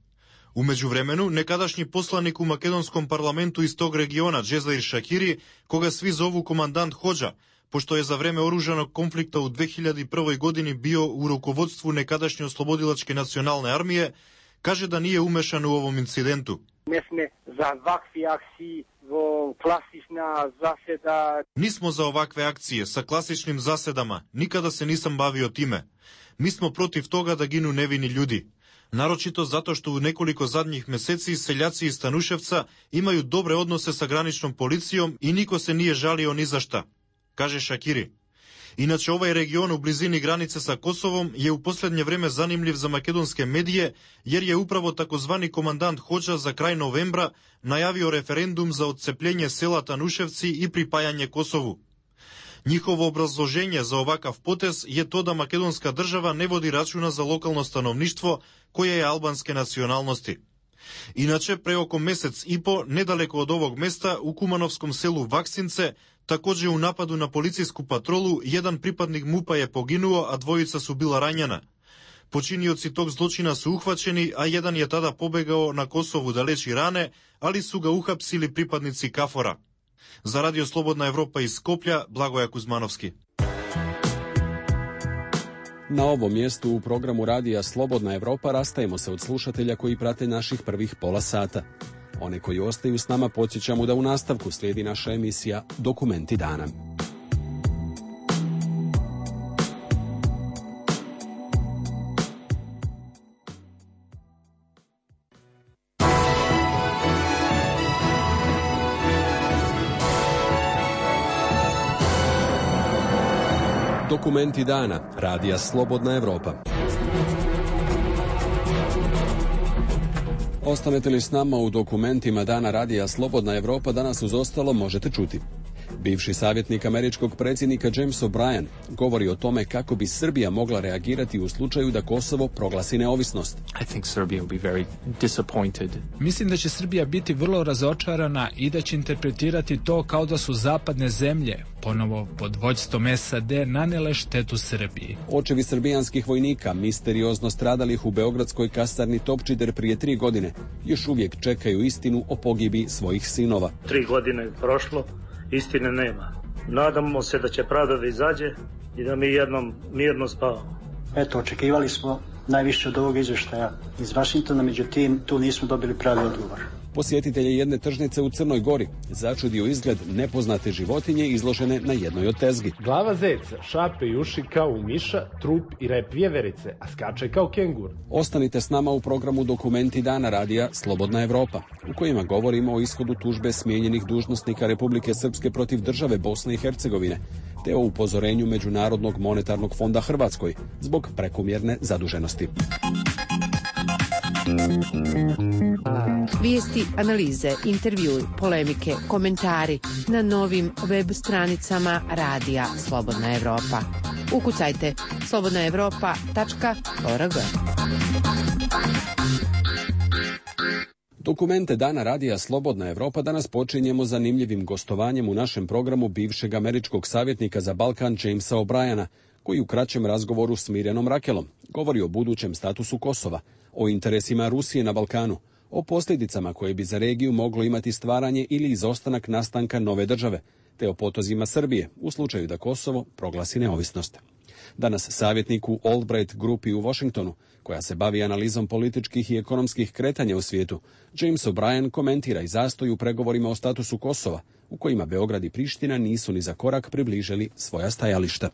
Speaker 20: U međuvremenu, nekadašnji poslanik u makedonskom parlamentu iz tog regiona, Džezdair Šakiri, koga svi zovu komandant Hodža, pošto je za vreme oružanog konflikta u 2001. godini bio u rukovodstvu nekadašnje oslobodilačke nacionalne armije, kaže da nije umešan u ovom incidentu. Nismo za ovakve akcije sa klasičnim zasedama, nikada se nisam bavio time. Mi smo protiv toga da ginu nevini ljudi. Naročito zato što u nekoliko zadnjih meseci seljaci iz Tanuševca imaju dobre odnose sa graničnom policijom i niko se nije žalio ni za šta, kaže Šakiri. Inače, ovaj region u blizini granice sa Kosovom je u posljednje vreme zanimljiv za makedonske medije, jer je upravo takozvani komandant Hođa za kraj novembra najavio referendum za odcepljenje sela Tanuševci i pripajanje Kosovu. Njihovo obrazloženje za ovakav potez je to da makedonska država ne vodi računa za lokalno stanovništvo koje je albanske nacionalnosti. Inače, pre oko mesec i po, nedaleko od ovog mesta, u kumanovskom selu Vaksince, također u napadu na policijsku patrolu, jedan pripadnik MUP-a je poginuo, a dvojica su bila ranjena. Počinioci tog zločina su uhvaćeni, a jedan je tada pobegao na Kosovu da leči rane, ali su ga uhapsili pripadnici KFOR-a. Za Radio Slobodna Evropa iz Skoplja, Blagoja Kuzmanovski.
Speaker 1: Na ovom mjestu u programu Radija Slobodna Evropa rastajemo se od slušatelja koji prate naših prvih pola sata. One koji ostaju s nama podsjećamo da u nastavku slijedi naša emisija Dokumenti dana. Dokumenti dana, Radija Slobodna Evropa. Ostanete li s nama u dokumentima dana Radija Slobodna Evropa, danas uz ostalo možete čuti. Bivši savjetnik američkog predsjednika James O'Brien govori o tome kako bi Srbija mogla reagirati u slučaju da Kosovo proglasi neovisnost.
Speaker 5: Mislim da će Srbija biti vrlo razočarana i da će interpretirati to kao da su zapadne zemlje, ponovo pod vođstvom SAD, nanele štetu Srbiji.
Speaker 1: Očevi srbijanskih vojnika, misteriozno stradalih u beogradskoj kasarni Topčider prije 3 godine, još uvijek čekaju istinu o pogibi svojih sinova.
Speaker 8: 3 godine je prošlo, istine nema. Nadamo se da će pravda da izađe i da mi jednom mirno spavamo.
Speaker 22: Eto, očekivali smo najviše od ovog izvještaja iz Vašingtona, međutim, tu nismo dobili pravi odgovor.
Speaker 1: Posjetitelje jedne tržnice u Crnoj Gori začudio izgled nepoznate životinje izložene na jednoj od tezgi.
Speaker 23: Glava zeca, šape i uši kao u miša, trup i rep vjeverice, a skače kao kengur.
Speaker 1: Ostanite s nama u programu Dokumenti dana Radija Slobodna Evropa, u kojima govorimo o ishodu tužbe smijenjenih dužnosnika Republike Srpske protiv države Bosne i Hercegovine, te o upozorenju Međunarodnog monetarnog fonda Hrvatskoj zbog prekomjerne zaduženosti.
Speaker 6: Vijesti, analize, intervjui, polemike, komentari na novim web stranicama Radija Slobodna Evropa. Ukucajte slobodnaevropa.org.
Speaker 1: Dokumente dana Radija Slobodna Evropa danas počinjemo zanimljivim gostovanjem u našem programu bivšeg američkog savjetnika za Balkan Jamesa O'Briena, koji u kraćem razgovoru s Mirjanom Rakelom govori o budućem statusu Kosova, o interesima Rusije na Balkanu, o posljedicama koje bi za regiju moglo imati stvaranje ili izostanak nastanka nove države, te o potozima Srbije u slučaju da Kosovo proglasi neovisnost. Danas savjetnik u Albright grupi u Washingtonu, koja se bavi analizom političkih i ekonomskih kretanja u svijetu, James O'Brien komentira i zastoj u pregovorima o statusu Kosova, u kojima Beograd i Priština nisu ni za korak približili svoja stajališta.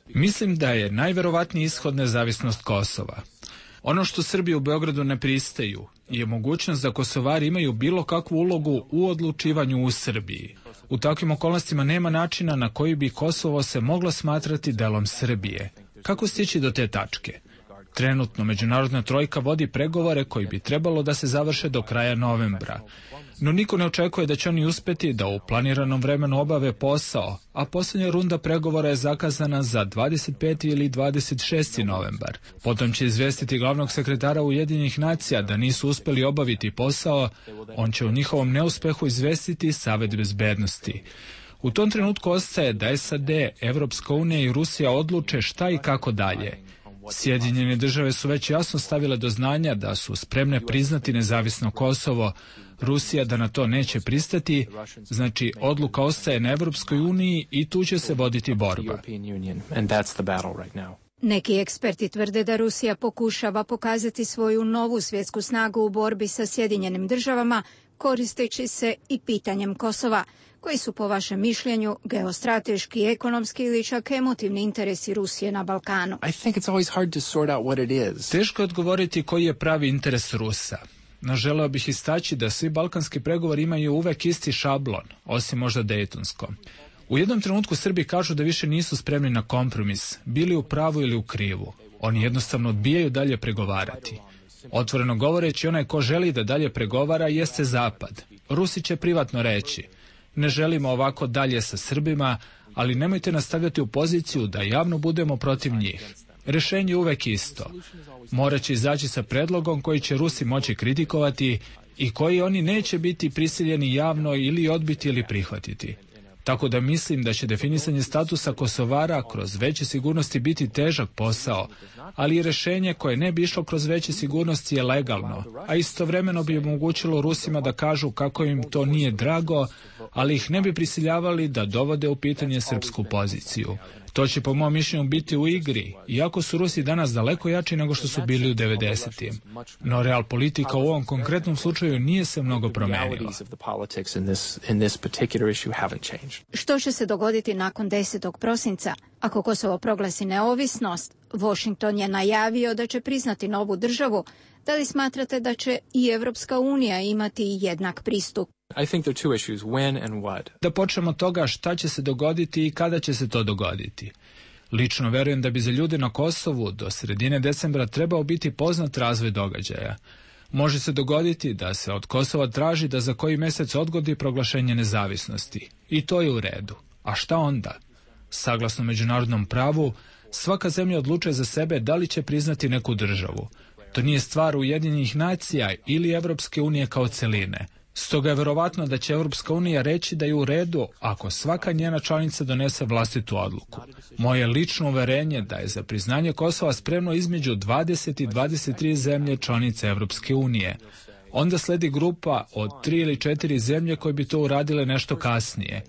Speaker 5: Mislim da je najverovatniji ishod nezavisnost Kosova. Ono što Srbi u Beogradu ne pristaju je mogućnost da Kosovari imaju bilo kakvu ulogu u odlučivanju u Srbiji. U takvim okolnostima nema načina na koji bi Kosovo se moglo smatrati delom Srbije. Kako stići do te tačke? Trenutno međunarodna trojka vodi pregovore koji bi trebalo da se završe do kraja novembra. No niko ne očekuje da će oni uspjeti da u planiranom vremenu obave posao, a posljednja runda pregovora je zakazana za 25. ili 26. novembar. Potom će izvestiti glavnog sekretara Ujedinjenih nacija da nisu uspjeli obaviti posao, on će o njihovom neuspehu izvestiti Savet bezbednosti. U tom trenutku ostaje da SAD, Evropska unija i Rusija odluče šta i kako dalje. Sjedinjene države su već jasno stavile do znanja da su spremne priznati nezavisno Kosovo, Rusija da na to neće pristati, znači odluka ostaje na Evropskoj uniji i tu će se voditi borba.
Speaker 19: Neki eksperti tvrde da Rusija pokušava pokazati svoju novu svjetsku snagu u borbi sa Sjedinjenim državama, koristeći se i pitanjem Kosova. Koji su po vašem mišljenju geostrateški, ekonomski ili čak emotivni interesi Rusije na Balkanu?
Speaker 5: Teško je odgovoriti koji je pravi interes Rusa. No želeo bih istaći da svi balkanski pregovori imaju uvek isti šablon, osim možda dejtonskom. U jednom trenutku Srbi kažu da više nisu spremni na kompromis, bili u pravu ili u krivu. Oni jednostavno odbijaju dalje pregovarati. Otvoreno govoreći, onaj ko želi da dalje pregovara jeste Zapad. Rusi će privatno reći, ne želimo ovako dalje sa Srbima, ali nemojte nas stavljati u poziciju da javno budemo protiv njih. Rješenje je uvek isto. Morat će izaći sa predlogom koji će Rusi moći kritikovati i koji oni neće biti prisiljeni javno ili odbiti ili prihvatiti. Tako da mislim da će definisanje statusa Kosovara kroz veće sigurnosti biti težak posao, ali i rješenje koje ne bi išlo kroz veće sigurnosti je legalno, a istovremeno bi omogućilo Rusima da kažu kako im to nije drago, ali ih ne bi prisiljavali da dovode u pitanje srpsku poziciju. To će po mom mišljenju biti u igri, iako su Rusi danas daleko jači nego što su bili u 90-im. No real politika u ovom konkretnom slučaju nije se mnogo promenila.
Speaker 19: Što će se dogoditi nakon 10. prosinca? Ako Kosovo proglasi neovisnost, Washington je najavio da će priznati novu državu. Da li smatrate da će i Evropska unija imati jednak pristup?
Speaker 5: Da počnemo od toga šta će se dogoditi i kada će se to dogoditi. Lično verujem da bi za ljude na Kosovu do sredine decembra trebao biti poznat razvoj događaja. Može se dogoditi da se od Kosova traži da za koji mjesec odgodi proglašenje nezavisnosti. I to je u redu. A šta onda? Saglasno međunarodnom pravu, svaka zemlja odlučuje za sebe da li će priznati neku državu. To nije stvar Ujedinjenih nacija ili Evropske unije kao celine. Stoga je verovatno da će Evropska unija reći da je u redu ako svaka njena članica donese vlastitu odluku. Moje lično uverenje da je za priznanje Kosova spremno između 20 i 23 zemlje članice Evropske unije. Onda sledi grupa od 3 ili 4 zemlje koje bi to uradile nešto kasnije.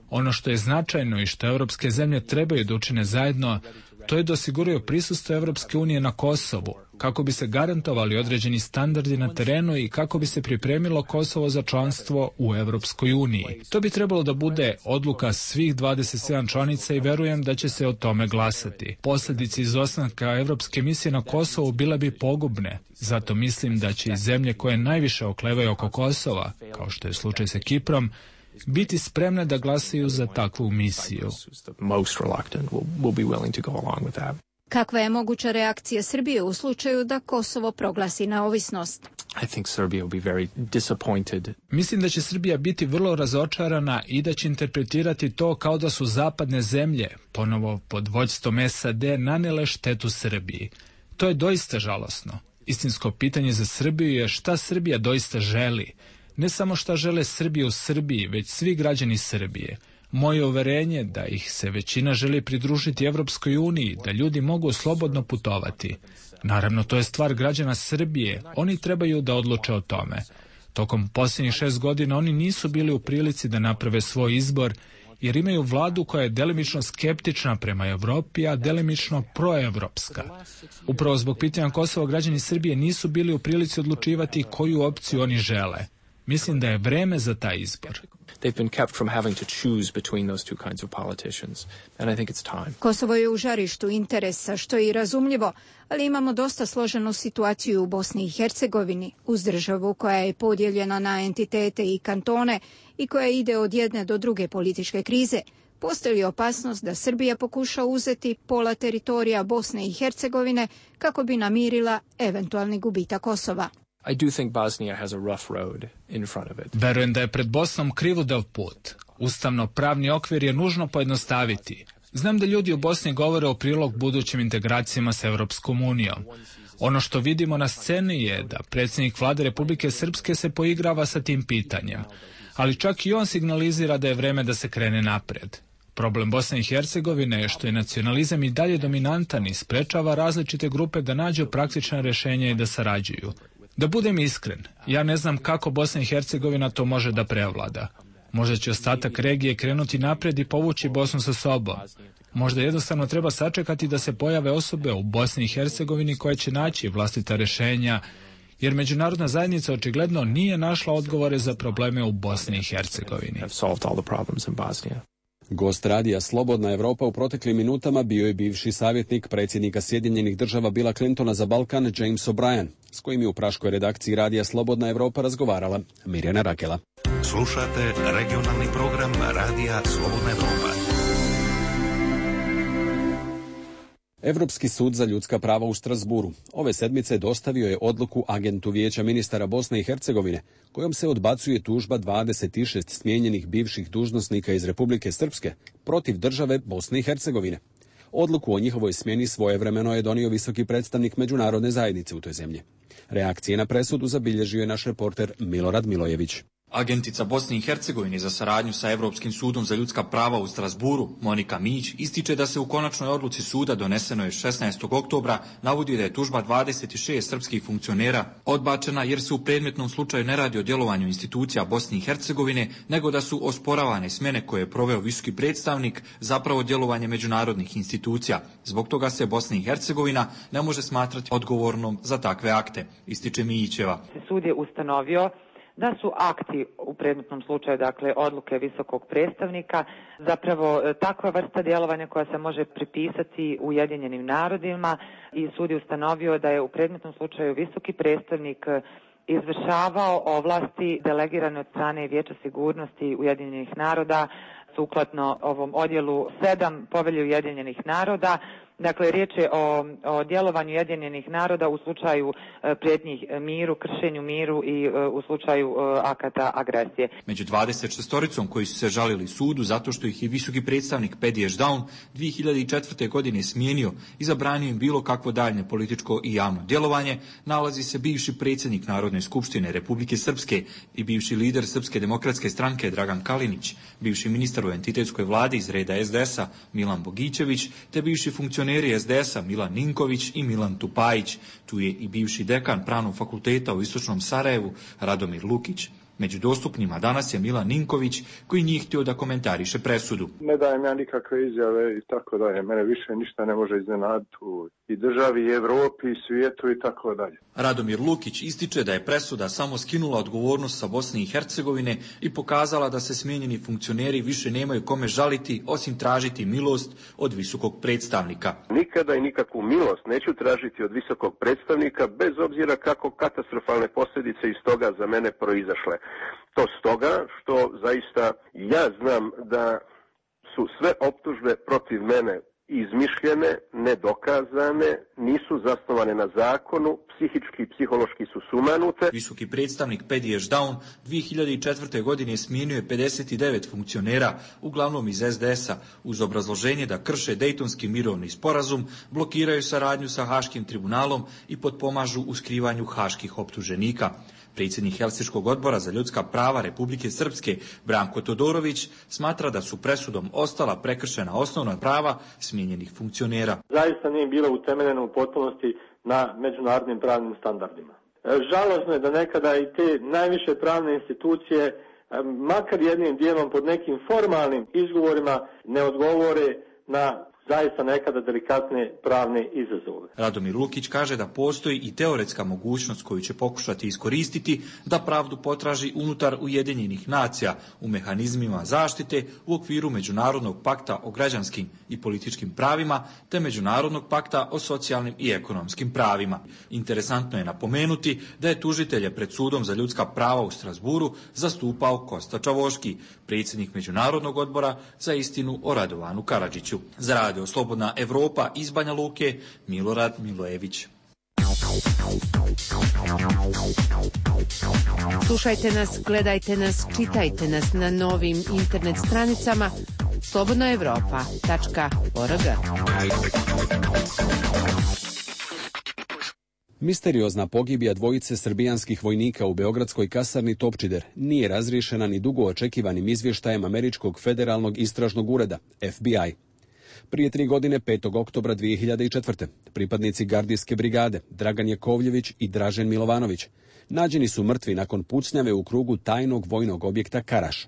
Speaker 5: Ono što je značajno i što evropske zemlje trebaju da učine zajedno, to je da osiguraju prisustvo Evropske unije na Kosovu, kako bi se garantovali određeni standardi na terenu i kako bi se pripremilo Kosovo za članstvo u Evropskoj uniji. To bi trebalo da bude odluka svih 27 članica i verujem da će se o tome glasati. Posljedice izostanka Evropske misije na Kosovu bile bi pogubne. Zato mislim da će i zemlje koje najviše oklevaju oko Kosova, kao što je slučaj sa Kiprom, biti spremne da glasaju za takvu misiju.
Speaker 19: Kakva je moguća reakcija Srbije u slučaju da Kosovo proglasi neovisnost?
Speaker 5: Mislim da će Srbija biti vrlo razočarana i da će interpretirati to kao da su zapadne zemlje, ponovo pod vođstvom SAD, nanele štetu Srbiji. To je doista žalosno. Istinsko pitanje za Srbiju je šta Srbija doista želi. Ne samo šta žele Srbi u Srbiji, već svi građani Srbije. Moje uverenje da ih se većina želi pridružiti Evropskoj uniji, da ljudi mogu slobodno putovati. Naravno, to je stvar građana Srbije, oni trebaju da odluče o tome. Tokom posljednjih 6 godina oni nisu bili u prilici da naprave svoj izbor, jer imaju vladu koja je delimično skeptična prema Evropi, a delimično proevropska. Upravo zbog pitanja Kosova građani Srbije nisu bili u prilici odlučivati koju opciju oni žele. Mislim da je vreme za taj izbor.
Speaker 19: Kosovo je u žarištu interesa, što je i razumljivo, ali imamo dosta složenu situaciju u Bosni i Hercegovini, uz državu koja je podijeljena na entitete i kantone i koja ide od jedne do druge političke krize. Postoji li opasnost da Srbija pokuša uzeti pola teritorija Bosne i Hercegovine kako bi namirila eventualni gubitak Kosova?
Speaker 5: Verujem da je pred Bosnom krivudav put. Ustavno-pravni okvir je nužno pojednostaviti. Znam da ljudi u Bosni govore o prilog budućim integracijama s Evropskom unijom. Ono što vidimo na sceni je da predsjednik vlade Republike Srpske se poigrava sa tim pitanjem. Ali čak i on signalizira da je vreme da se krene napred. Problem Bosne i Hercegovine je što je nacionalizam i dalje dominantan i sprečava različite grupe da nađu praktična rješenja i da sarađuju. Da budem iskren, ja ne znam kako Bosna i Hercegovina to može da prevlada. Možda će ostatak regije krenuti napred i povući Bosnu sa sobom. Možda jednostavno treba sačekati da se pojave osobe u Bosni i Hercegovini koje će naći vlastita rješenja, jer međunarodna zajednica očigledno nije našla odgovore za probleme u Bosni i Hercegovini.
Speaker 1: Gost radija Slobodna Evropa u proteklim minutama bio je bivši savjetnik predsjednika Sjedinjenih Država Billa Clintona za Balkan James O'Brien, s kojim je u praškoj redakciji radija Slobodna Evropa razgovarala Mirjana Rakela.
Speaker 16: Slušate regionalni program Radija Slobodna Evropa.
Speaker 1: Evropski sud za ljudska prava u Strasburu ove sedmice dostavio je odluku agentu Vijeća ministara Bosne i Hercegovine, kojom se odbacuje tužba 26 smijenjenih bivših dužnosnika iz Republike Srpske protiv države Bosne i Hercegovine. Odluku o njihovoj smjeni svojevremeno je donio visoki predstavnik međunarodne zajednice u toj zemlji. Reakcije na presudu zabilježio je naš reporter Milorad Milojević.
Speaker 2: Agentica Bosne i Hercegovine za saradnju sa Europskim sudom za ljudska prava u Strasburu, Monika Mić, ističe da se u konačnoj odluci suda donesenoj 16. oktobra navodi da je tužba 26 srpskih funkcionera odbačena jer se u predmetnom slučaju ne radi o djelovanju institucija Bosne i Hercegovine, nego da su osporavane smjene koje je proveo visoki predstavnik zapravo djelovanje međunarodnih institucija. Zbog toga se Bosna i Hercegovina ne može smatrati odgovornom za takve akte, ističe Mićeva.
Speaker 7: Sud je ustanovio da su akti u predmetnom slučaju, dakle odluke visokog predstavnika, zapravo takva vrsta djelovanja koja se može pripisati Ujedinjenim narodima i sud je ustanovio da je u predmetnom slučaju visoki predstavnik izvršavao ovlasti delegirane od strane Vijeća sigurnosti Ujedinjenih naroda sukladno ovom odjelu 7 Povelje Ujedinjenih naroda. Dakle, riječ je o djelovanju Ujedinjenih naroda u slučaju prijetnji miru, kršenju miru i u slučaju akata agresije.
Speaker 2: Među 26 koji su se žalili sudu zato što ih je visoki predstavnik Pedi Ešdaun 2004. godine smijenio i zabranio im bilo kakvo daljnje političko i javno djelovanje, nalazi se bivši predsjednik Narodne skupštine Republike Srpske i bivši lider Srpske demokratske stranke Dragan Kalinić, bivši ministar u entitetskoj vladi iz reda SDS-a Milan Bogićević, te bivši funkcioner SDS-a Milan Ninković i Milan Tupajić. Tu je i bivši dekan Pravnog fakulteta u Istočnom Sarajevu Radomir Lukić. Među dostupnima danas je Milan Ninković koji nije htio da komentariše presudu.
Speaker 13: Ne dajem ja nikakve izjave i tako dalje. Mene više ništa ne može iznenaditi i državi, i Evropi, i svijetu i tako dalje.
Speaker 2: Radomir Lukić ističe da je presuda samo skinula odgovornost sa Bosne i Hercegovine i pokazala da se smijenjeni funkcioneri više nemaju kome žaliti osim tražiti milost od visokog predstavnika.
Speaker 24: Nikada i nikakvu milost neću tražiti od visokog predstavnika bez obzira kako katastrofalne posljedice iz toga za mene proizašle. To stoga što zaista ja znam da su sve optužbe protiv mene izmišljene, nedokazane, nisu zasnovane na zakonu, psihički i psihološki su sumanute.
Speaker 2: Visoki predstavnik Pedi Ešdaun 2004. godine smijenio je 59 funkcionera, uglavnom iz SDS-a, uz obrazloženje da krše Dejtonski mirovni sporazum, blokiraju saradnju sa Haškim tribunalom i potpomažu u skrivanju haških optuženika. Predsjednik Helsinškog odbora za ljudska prava Republike Srpske Branko Todorović smatra da su presudom ostala prekršena osnovna prava smijenjenih funkcionera.
Speaker 25: Zaista nije bilo utemeljeno u potpunosti na međunarodnim pravnim standardima. Žalosno je da nekada i te najviše pravne institucije, makar jednim dijelom pod nekim formalnim izgovorima, ne odgovore na zaista nekada delikatne pravne izazove.
Speaker 2: Radomir Lukić kaže da postoji i teoretska mogućnost koju će pokušati iskoristiti da pravdu potraži unutar Ujedinjenih nacija u mehanizmima zaštite u okviru Međunarodnog pakta o građanskim i političkim pravima te Međunarodnog pakta o socijalnim i ekonomskim pravima. Interesantno je napomenuti da je tužitelje pred sudom za ljudska prava u Strasburu zastupao Kosta Čavoški, predsjednik Međunarodnog odbora za istinu o Radovanu Karadžiću. Za Radio Slobodna Evropa iz Banja Luke, Milorad Milojević.
Speaker 6: Slušajte nas, gledajte nas, čitajte nas na novim internet stranicama slobodnaevropa.org.
Speaker 1: Misteriozna pogibija dvojice srbijanskih vojnika u beogradskoj kasarni Topčider nije razriješena ni dugo očekivanim izvještajem Američkog federalnog istražnog ureda, FBI. Prije 3 godine, 5. oktobra 2004. pripadnici gardijske brigade Dragan Jakovljević i Dražen Milovanović nađeni su mrtvi nakon pucnjave u krugu tajnog vojnog objekta Karaš.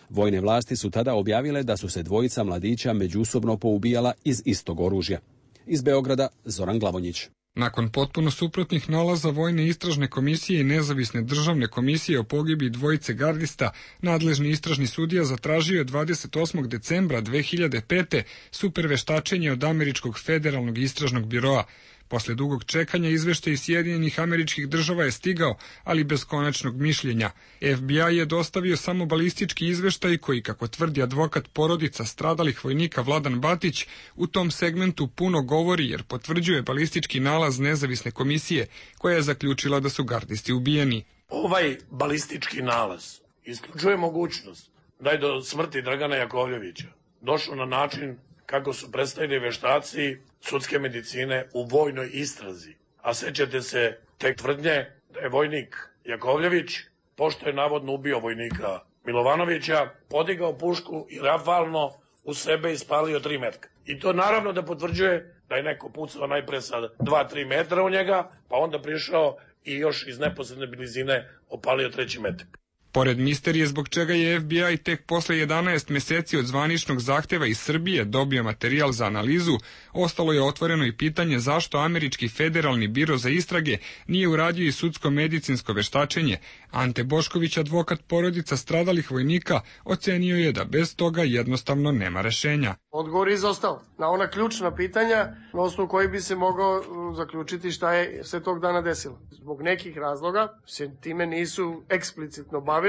Speaker 1: Vojne vlasti su tada objavile da su se dvojica mladića međusobno poubijala iz istog oružja. Iz Beograda, Zoran Glavonjić.
Speaker 26: Nakon potpuno suprotnih nalaza Vojne istražne komisije i Nezavisne državne komisije o pogibiji dvojice gardista, nadležni istražni sudija zatražio je 28. decembra 2005. superveštačenje od Američkog federalnog istražnog biroa. Posle dugog čekanja izveštaj iz Sjedinjenih Američkih Država je stigao, ali bez konačnog mišljenja. FBI je dostavio samo balistički izveštaj koji, kako tvrdi advokat porodica stradalih vojnika Vladan Batić, u tom segmentu puno govori jer potvrđuje balistički nalaz nezavisne komisije koja je zaključila da su gardisti ubijeni.
Speaker 4: Ovaj balistički nalaz isključuje mogućnost da je do smrti Dragana Jakovljevića došlo na način kako su predstavili veštaci sudske medicine u vojnoj istrazi. A sećate se tek tvrdnje da je vojnik Jakovljević, pošto je navodno ubio vojnika Milovanovića, podigao pušku i rafalno u sebe ispalio 3 metka. I to naravno da potvrđuje da je neko pucao najpre sa 2-3 metra u njega, pa onda prišao i još iz neposredne blizine opalio 3. metak.
Speaker 26: Pored misterije zbog čega je FBI tek posle 11 meseci od zvaničnog zahteva iz Srbije dobio materijal za analizu, ostalo je otvoreno i pitanje zašto Američki federalni biro za istrage nije uradio i sudsko-medicinsko veštačenje. Ante Bošković, advokat porodica stradalih vojnika, ocenio je da bez toga jednostavno nema rešenja.
Speaker 10: Odgovor je izostao na ona ključna pitanja na osnovu koji bi se mogao zaključiti šta je se tog dana desilo. Zbog nekih razloga se time nisu eksplicitno bavili.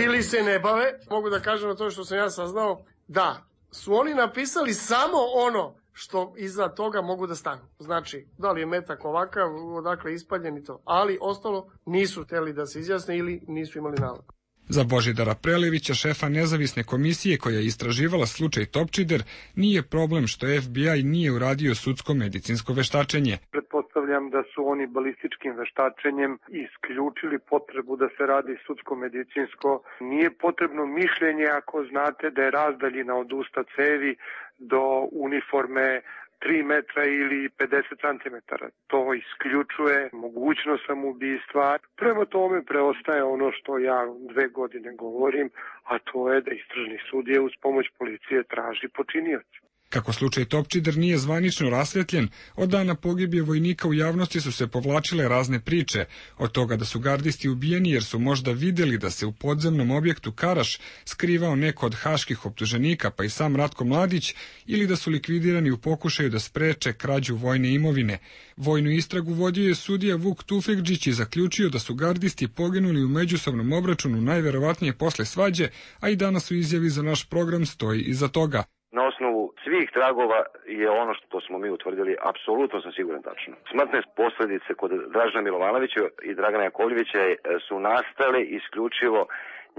Speaker 10: Ili se ne bave. Mogu da kažem na to što sam ja saznao da su oni napisali samo ono što iza toga mogu da stanu. Znači, da li je metak ovakav, odakle ispaljen i to. Ali ostalo nisu hteli da se izjasne ili nisu imali nalog.
Speaker 26: Za Božidara Prelevića, šefa nezavisne komisije koja je istraživala slučaj Topčider, nije problem što FBI nije uradio sudsko-medicinsko veštačenje.
Speaker 9: Pretpostavljam da su oni balističkim veštačenjem isključili potrebu da se radi sudsko-medicinsko. Nije potrebno mišljenje ako znate da je razdaljina od usta cevi do uniforme 3 metra ili 50 centimetara. To isključuje mogućnost samoubistva. Prema tome preostaje ono što ja 2 godine govorim, a to je da istražni sudija uz pomoć policije traži počinioca.
Speaker 26: Kako slučaj Topčider nije zvanično rasvetljen, od dana pogibije vojnika u javnosti su se povlačile razne priče, od toga da su gardisti ubijeni jer su možda vidjeli da se u podzemnom objektu Karaš skrivao neko od haških optuženika, pa i sam Ratko Mladić, ili da su likvidirani u pokušaju da spreče krađu vojne imovine. Vojnu istragu vodio je sudija Vuk Tufekđić i zaključio da su gardisti poginuli u međusobnom obračunu najverovatnije posle svađe, a i danas u izjavi za naš program stoji iza toga.
Speaker 11: Na osnovu svih tragova je ono što smo mi utvrdili, apsolutno sam siguran tačno. Smrtne posljedice kod Dražena Milovanovića i Dragana Jakovljevića su nastale isključivo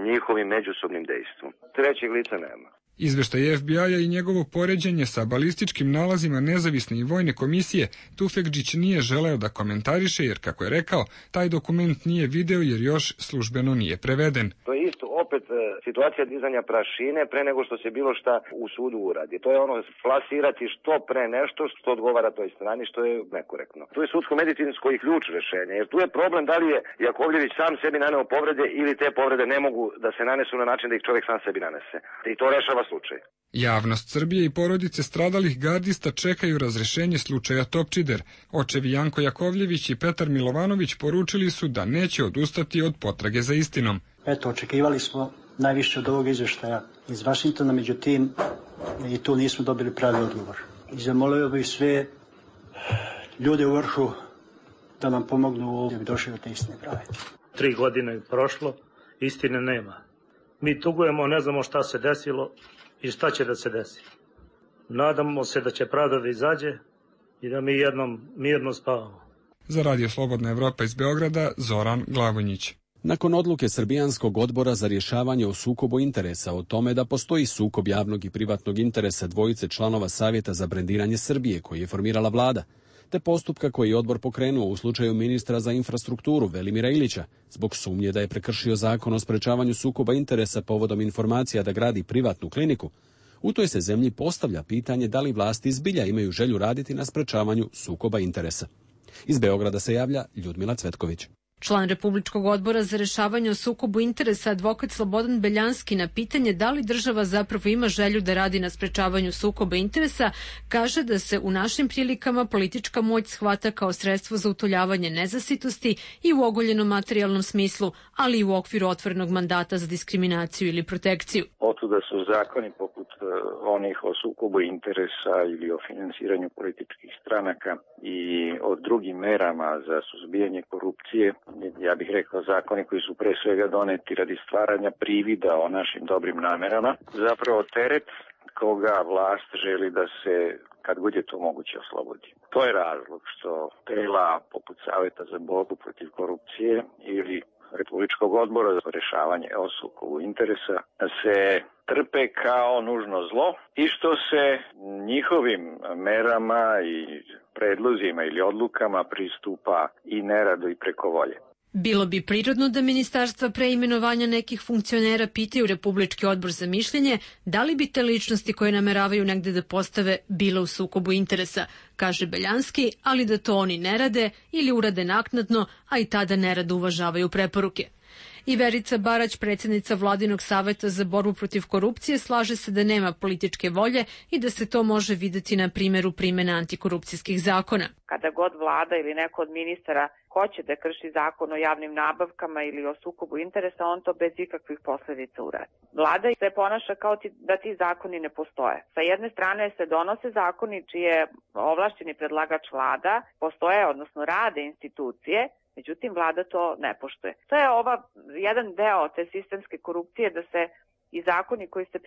Speaker 11: njihovim međusobnim dejstvom. Trećeg lica nema.
Speaker 26: Izveštaj FBI-a i njegovo poređenje sa balističkim nalazima nezavisne i vojne komisije Tufekđić nije želeo da komentariše jer, kako je rekao, taj dokument nije video jer još službeno nije preveden.
Speaker 11: To je isto opet situacija dizanja prašine pre nego što se bilo šta u sudu uradi. To je ono plasirati što pre nešto što odgovara toj strani, što je nekorektno. Tu je sudsko-medicinsko i ključ rešenja, jer tu je problem da li je Jakovljević sam sebi naneo povrede ili te povrede ne mogu da se nanesu na način da ih čovjek sam sebi nanese. I to rešava slučaj.
Speaker 26: Javnost Srbije i porodice stradalih gardista čekaju razrešenje slučaja Topčider. Očevi Janko Jakovljević i Petar Milovanović poručili su da neće odustati od potrage za istinom.
Speaker 22: Eto, očekivali smo najviše od ovog izveštaja iz Vašingtona, međutim i tu nismo dobili pravi odgovor. I zamolio bih sve ljude u vrhu da nam pomognu da bi došli do te istine prave.
Speaker 8: 3 godine je prošlo, istine nema. Mi tugujemo, ne znamo šta se desilo i šta će da se desi. Nadamo se da će pravda da izađe i da mi jednom mirno spavamo.
Speaker 26: Za Radio Slobodna Evropa iz Beograda, Zoran Glavonjić.
Speaker 1: Nakon odluke Srbijanskog odbora za rješavanje o sukobu interesa o tome da postoji sukob javnog i privatnog interesa dvojice članova Savjeta za brendiranje Srbije koji je formirala vlada, te postupka koji je odbor pokrenuo u slučaju ministra za infrastrukturu Velimira Ilića zbog sumnje da je prekršio zakon o sprečavanju sukoba interesa povodom informacija da gradi privatnu kliniku, u toj se zemlji postavlja pitanje da li vlasti zbilja imaju želju raditi na sprečavanju sukoba interesa. Iz Beograda se javlja Ljudmila Cvetković.
Speaker 3: Član Republičkog odbora za rešavanje o sukobu interesa advokat Slobodan Beljanski na pitanje da li država zapravo ima želju da radi na sprečavanju sukoba interesa, kaže da se u našim prilikama politička moć shvata kao sredstvo za utoljavanje nezasitosti i u ogoljenom materijalnom smislu, ali i u okviru otvorenog mandata za diskriminaciju ili protekciju.
Speaker 12: Otuda su zakoni poput onih o sukobu interesa ili o finansiranju političkih stranaka i o drugim merama za suzbijanje korupcije, ja bih rekao zakoni koji su pre svega doneti radi stvaranja privida o našim dobrim namerama, zapravo teret koga vlast želi da se kad god je to moguće oslobodi. To je razlog što tela poput Saveta za borbu protiv korupcije ili Republičkog odbora za rešavanje o sukobu interesa se trpe kao nužno zlo i što se njihovim merama i predlozima ili odlukama pristupa i nerado i preko volje.
Speaker 3: Bilo bi prirodno da ministarstva pre imenovanja nekih funkcionera pitaju Republički odbor za mišljenje da li bi te ličnosti koje nameravaju negde da postave bile u sukobu interesa, kaže Beljanski, ali da to oni ne rade ili urade naknadno, a i tada nerado uvažavaju preporuke. I Verica Barać, predsjednica Vladinog saveta za borbu protiv korupcije, slaže se da nema političke volje i da se to može videti na primjeru primjene antikorupcijskih zakona.
Speaker 14: Kada god vlada ili neko od ministara hoće da krši zakon o javnim nabavkama ili o sukobu interesa, on to bez ikakvih posljedica uradi. Vlada se ponaša kao da ti zakoni ne postoje. Sa jedne strane se donose zakoni čiji je ovlašćeni predlagač vlada, postoje, odnosno rade institucije, međutim, vlada to ne poštuje. To je jedan deo te sistemske korupcije da se i zakoni koji se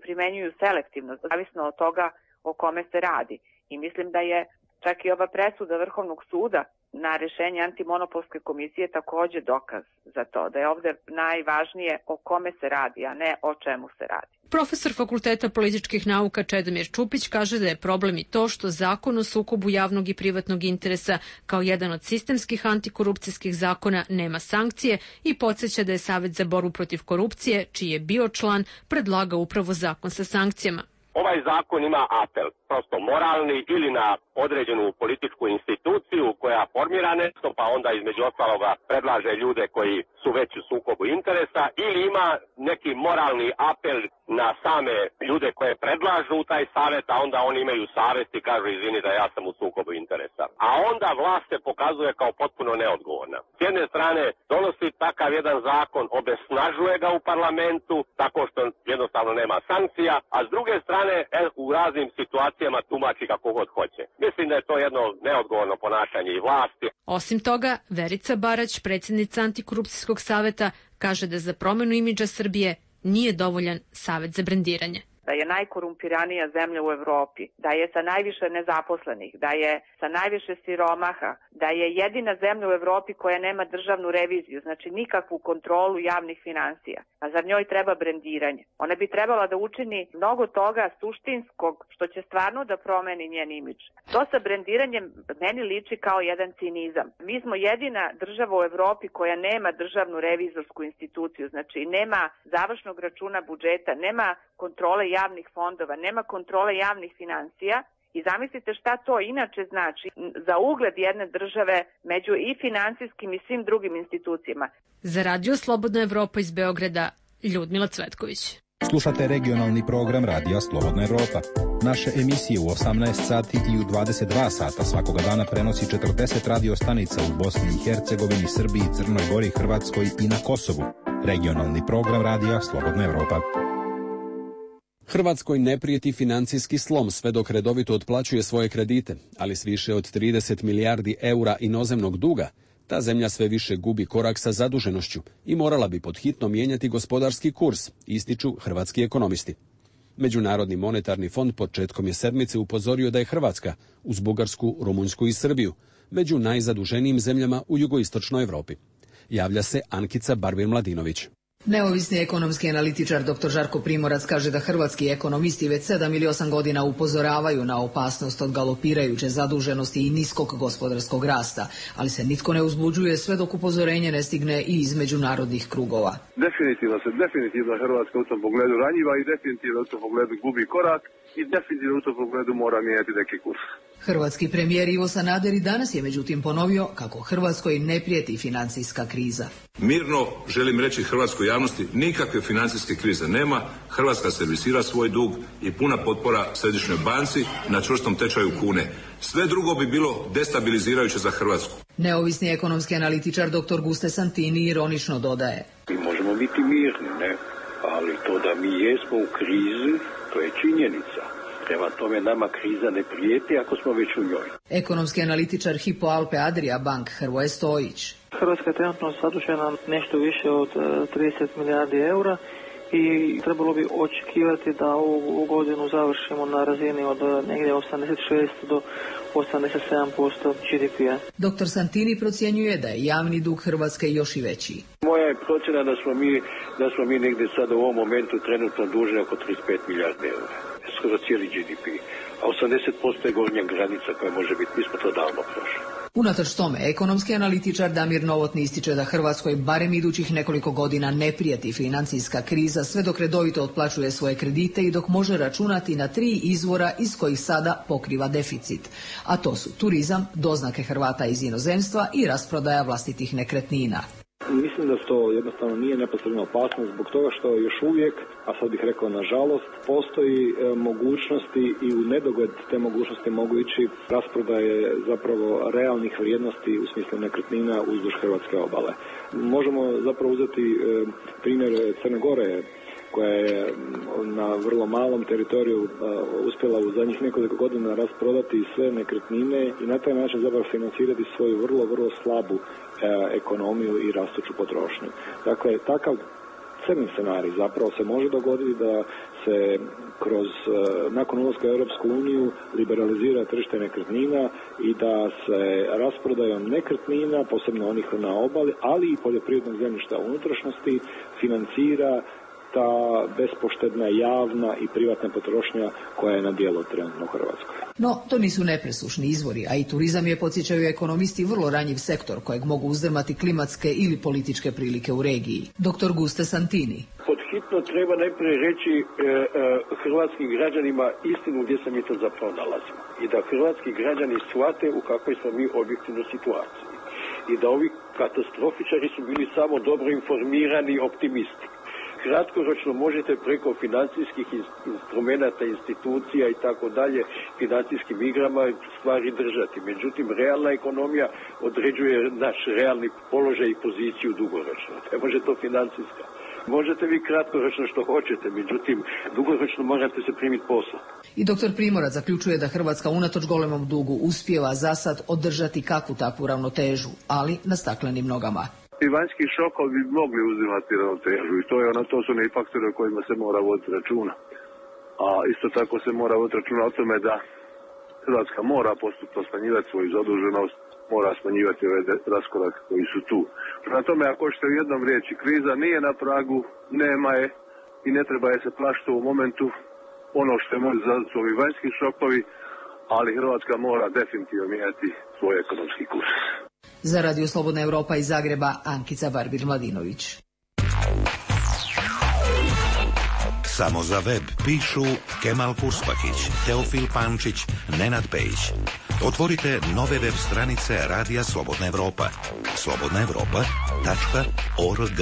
Speaker 14: primenjuju selektivno, zavisno od toga o kome se radi. I mislim da je čak i ova presuda Vrhovnog suda na rešenje antimonopolske komisije također dokaz za to, da je ovdje najvažnije o kome se radi, a ne o čemu se radi.
Speaker 3: Profesor Fakulteta političkih nauka Čedomir Čupić kaže da je problem i to što zakon o sukobu javnog i privatnog interesa kao jedan od sistemskih antikorupcijskih zakona nema sankcije i podsjeća da je Savet za borbu protiv korupcije, čiji je bio član, predlagao upravo zakon sa sankcijama.
Speaker 15: Ovaj zakon ima apel, prosto moralni, ili na određenu političku instituciju koja formira nešto, pa onda između ostaloga predlaže ljude koji su već u sukobu interesa, ili ima neki moralni apel na same ljude koje predlažu u taj savjet, a onda oni imaju savjest i kažu izvini da ja sam u sukobu interesa. A onda vlast se pokazuje kao potpuno neodgovorna. S jedne strane donosi takav jedan zakon, obesnažuje ga u parlamentu, tako što jednostavno nema sankcija, a s druge strane u raznim situacijama tumači kako god hoće. Mislim da je to jedno neodgovorno ponašanje i vlasti.
Speaker 3: Osim toga, Verica Barać, predsjednica Antikorupcijskog saveta, kaže da za promjenu imidža Srbije nije dovoljan savet za brendiranje.
Speaker 14: Da je najkorumpiranija zemlja u Evropi, da je sa najviše nezaposlenih, da je sa najviše siromaha, da je jedina zemlja u Evropi koja nema državnu reviziju, znači nikakvu kontrolu javnih finansija. A zar njoj treba brendiranje? Ona bi trebala da učini mnogo toga suštinskog što će stvarno da promeni njen imidž. To sa brendiranjem meni liči kao jedan cinizam. Mi smo jedina država u Evropi koja nema državnu revizorsku instituciju, znači nema završnog računa budžeta, nema kontrole javnih fondova, nema kontrole javnih financija i zamislite šta to inače znači za ugled jedne države među i finansijskim i svim drugim institucijama.
Speaker 3: Za Radio Slobodna Evropa iz Beograda, Ljudmila Cvetković.
Speaker 17: Slušate regionalni program Radija Slobodna Evropa. Naše emisije u 18 sati i u 22 sata svakoga dana prenosi 40 radio stanica u Bosni i Hercegovini, Srbiji, Crnoj Gori, Hrvatskoj i na Kosovu. Regionalni program Radija Slobodna Evropa.
Speaker 1: Hrvatskoj ne prijeti financijski slom sve dok redovito otplaćuje svoje kredite, ali s više od 30 milijardi eura inozemnog duga, ta zemlja sve više gubi korak sa zaduženošću i morala bi pod hitno mijenjati gospodarski kurs, ističu hrvatski ekonomisti. Međunarodni monetarni fond početkom je sedmice upozorio da je Hrvatska, uz Bugarsku, Rumunjsku i Srbiju, među najzaduženijim zemljama u jugoistočnoj Evropi. Javlja se Ankica Barbir-Mladinović.
Speaker 18: Neovisni ekonomski analitičar dr. Žarko Primorac kaže da hrvatski ekonomisti već 7 ili 8 godina upozoravaju na opasnost od galopirajuće zaduženosti i niskog gospodarskog rasta, ali se nitko ne uzbuđuje sve dok upozorenje ne stigne i iz međunarodnih krugova.
Speaker 13: Definitivno Hrvatska u tom pogledu ranjiva i definitivno u tom pogledu gubi korak
Speaker 5: i definitivno u tom pogledu mora mijenjati neki kurs.
Speaker 18: Hrvatski premijer Ivo Sanader i danas je međutim ponovio kako Hrvatskoj ne prijeti financijska kriza.
Speaker 16: Mirno želim reći hrvatskoj javnosti, nikakve financijske krize nema, Hrvatska servisira svoj dug i puna potpora Središnjoj banci na čvrstom tečaju kune. Sve drugo bi bilo destabilizirajuće za Hrvatsku.
Speaker 18: Neovisni ekonomski analitičar dr. Guste Santini ironično dodaje.
Speaker 19: Mi možemo biti mirni, ne? Ali to da mi jesmo u krizi, to je činjenica. Prema tome nama kriza ne prijeti ako smo već u njoj.
Speaker 18: Ekonomski analitičar Hypo Alpe Adria Bank Hrvoje Stojić.
Speaker 20: Hrvatska je trenutno zadužena nešto više od 30 milijardi eura i trebalo bi očekivati da ovu godinu završimo na razini od negdje 86 do 87% GDP-a.
Speaker 18: Dr. Santini procjenjuje da je javni dug Hrvatske još i veći.
Speaker 19: Moja je procjena da smo mi negdje sada u ovom momentu trenutno dužni oko 35 milijardi eura. Skoro cijeli GDP. A 80% je gornja granica koja može biti. Mi smo to davno prošli.
Speaker 18: Unatoč tome, ekonomski analitičar Damir Novotni ističe da Hrvatskoj barem idućih nekoliko godina ne prijeti financijska kriza sve dok redovito otplaćuje svoje kredite i dok može računati na 3 izvora iz kojih sada pokriva deficit. A to su turizam, doznake Hrvata iz inozemstva i rasprodaja vlastitih nekretnina.
Speaker 21: Mislim da to jednostavno nije neposredna opasnost zbog toga što još uvijek, a sad bih rekao nažalost, postoji mogućnosti i u nedogled te mogućnosti mogu ići rasprodaje zapravo realnih vrijednosti u smislu nekretnina uzduž hrvatske obale. Možemo zapravo uzeti primjer Crne Gore, koja je na vrlo malom teritoriju uspjela u zadnjih nekoliko godina rasprodati sve nekretnine i na taj način zapravo financirati svoju vrlo, vrlo slabu ekonomiju i rastuću potrošnju. Dakle, takav crni scenarij zapravo se može dogoditi da se kroz, nakon ulaska u Europsku uniju liberalizira tržište nekretnina i da se rasprodajom nekretnina, posebno onih na obali, ali i poljoprivrednog zemljišta u unutrašnjosti, financira ta bespoštedna javna i privatna potrošnja koja je na djelu trenutno u Hrvatskoj.
Speaker 18: No, to nisu nepresušni izvori, a i turizam je, podsjećaju ekonomisti, vrlo ranjiv sektor kojeg mogu uzdrmati klimatske ili političke prilike u regiji. Dr. Guste Santini.
Speaker 19: Pod hitno treba najprije reći hrvatskim građanima istinu gdje se mi to zapravo nalazimo. I da hrvatski građani shvate u kakvoj smo mi objektivnoj situaciji. I da ovi katastrofičari su bili samo dobro informirani optimisti. Kratkoročno možete preko financijskih instrumenata, institucija i tako dalje, financijskim igrama stvari držati. Međutim, realna ekonomija određuje naš realni položaj i poziciju dugoročno. Ne može to financijska. Možete vi kratkoročno što hoćete, međutim, dugoročno morate se primiti posla.
Speaker 18: I dr. Primorac zaključuje da Hrvatska unatoč golemom dugu uspijeva za sad održati kakvu takvu ravnotežu, ali na staklenim nogama.
Speaker 5: I vanjski šokovi bi mogli uzimati ravnotežu i to su neki faktori o kojima se mora voditi računa. A isto tako se mora voditi računa o tome da Hrvatska mora postupno smanjivati svoju zaduženost, mora smanjivati ove raskorake koji su tu. Prema tome, ako ćete u jednom riječi, kriza nije na pragu, nema je i ne treba je se plašiti u momentu. Ono što je može zadati su ovi vanjski šokovi, ali Hrvatska mora definitivno mijenjati svoj ekonomski kurs.
Speaker 18: Za Radio Slobodna Europa iz Zagreba, Ankica Barbir-Mladinović.
Speaker 23: Samo za web pišu Kemal Puspahić, Teofil Pančić, Nenad Pejić. Otvorite nove web stranice Radija Slobodna Europa. slobodnaevropa.org.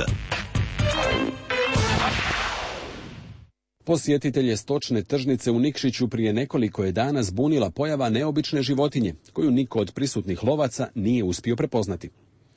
Speaker 1: Posjetitelje stočne tržnice u Nikšiću prije nekoliko je dana zbunila pojava neobične životinje, koju niko od prisutnih lovaca nije uspio prepoznati.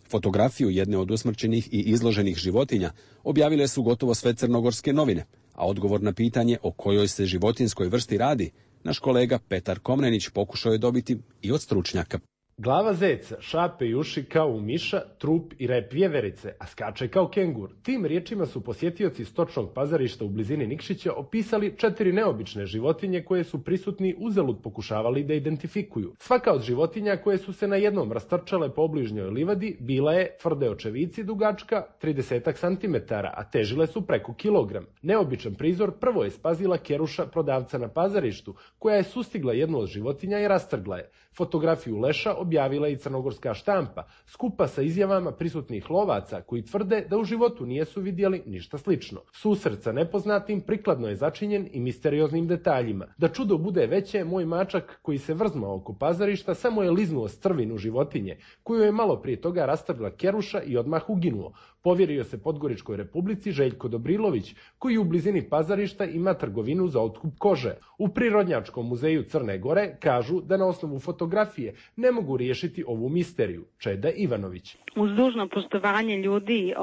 Speaker 1: Fotografiju jedne od usmrćenih i izloženih životinja objavile su gotovo sve crnogorske novine, a odgovor na pitanje o kojoj se životinskoj vrsti radi, naš kolega Petar Komnenić pokušao je dobiti i od stručnjaka.
Speaker 27: Glava zeca, šape i uši kao u miša, trup i rep vjeverice, a skače kao kengur. Tim riječima su posjetioci stočnog pazarišta u blizini Nikšića opisali 4 neobične životinje koje su prisutni uzalud pokušavali da identifikuju. Svaka od životinja koje su se na jednom rastrčale po obližnjoj livadi bila je tvrde očevici dugačka 30 cm, a težile su preko kilogram. Neobičan prizor prvo je spazila Keruša, prodavca na pazarištu, koja je sustigla jednu od životinja i rastrgla je. Fotografiju leša objavila i crnogorska štampa, skupa sa izjavama prisutnih lovaca koji tvrde da u životu nijesu vidjeli ništa slično. Susret sa nepoznatim prikladno je začinjen i misterioznim detaljima. Da čudo bude veće, moj mačak koji se vrzmao oko pazarišta samo je liznuo strvinu životinje, koju je malo prije toga rastrgla keruša i odmah uginuo. Povjerio se Podgoričkoj Republici Željko Dobrilović, koji u blizini pazarišta ima trgovinu za otkup kože. U Prirodnjačkom muzeju Crne Gore kažu da na osnovu fotografije ne mogu riješiti ovu misteriju. Čeda Ivanović.
Speaker 2: Uz dužno poštovanje ljudi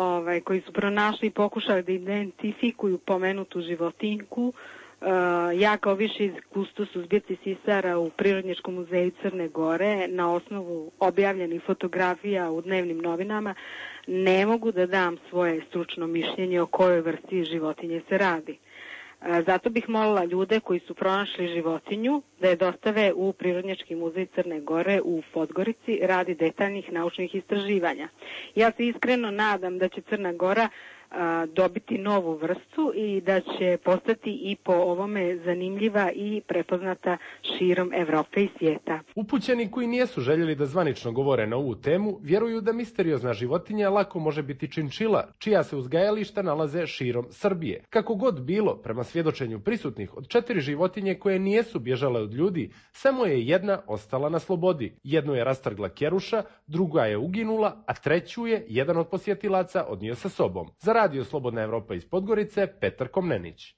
Speaker 2: koji su pronašli i pokušali da identifikuju pomenutu životinjku, ja kao viši kustos u zbirci sisara u Prirodnjačkom muzeju Crne Gore na osnovu objavljenih fotografija u dnevnim novinama ne mogu da dam svoje stručno mišljenje o kojoj vrsti životinje se radi. Zato bih molila ljude koji su pronašli životinju da je dostave u Prirodnjački muzej Crne Gore u Podgorici radi detaljnih naučnih istraživanja. Ja se iskreno nadam da će Crna Gora dobiti novu vrstu i da će postati i po ovome zanimljiva i prepoznata širom Evrope i svijeta.
Speaker 27: Upućeni koji nijesu željeli da zvanično govore na ovu temu, vjeruju da misteriozna životinja lako može biti činčila, čija se uzgajališta nalaze širom Srbije. Kako god bilo, prema svjedočenju prisutnih, od 4 životinje koje nijesu bježale od ljudi, samo je jedna ostala na slobodi. Jednu je rastrgla keruša, druga je uginula, a treću je jedan od posjetilaca odnio sa sobom. Za Radio Slobodna Evropa iz Podgorice, Petar Komnenić.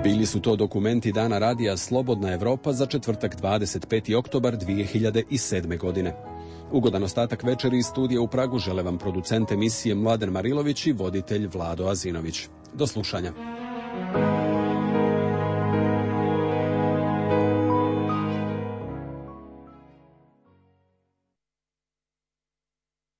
Speaker 1: Bili su to dokumenti Dana radija Slobodna Evropa za četvrtak 25. oktobar 2007. godine. Ugodan ostatak večeri iz studija u Pragu žele vam producent emisije Mladen Marilović i voditelj Vlado Azinović. Do slušanja.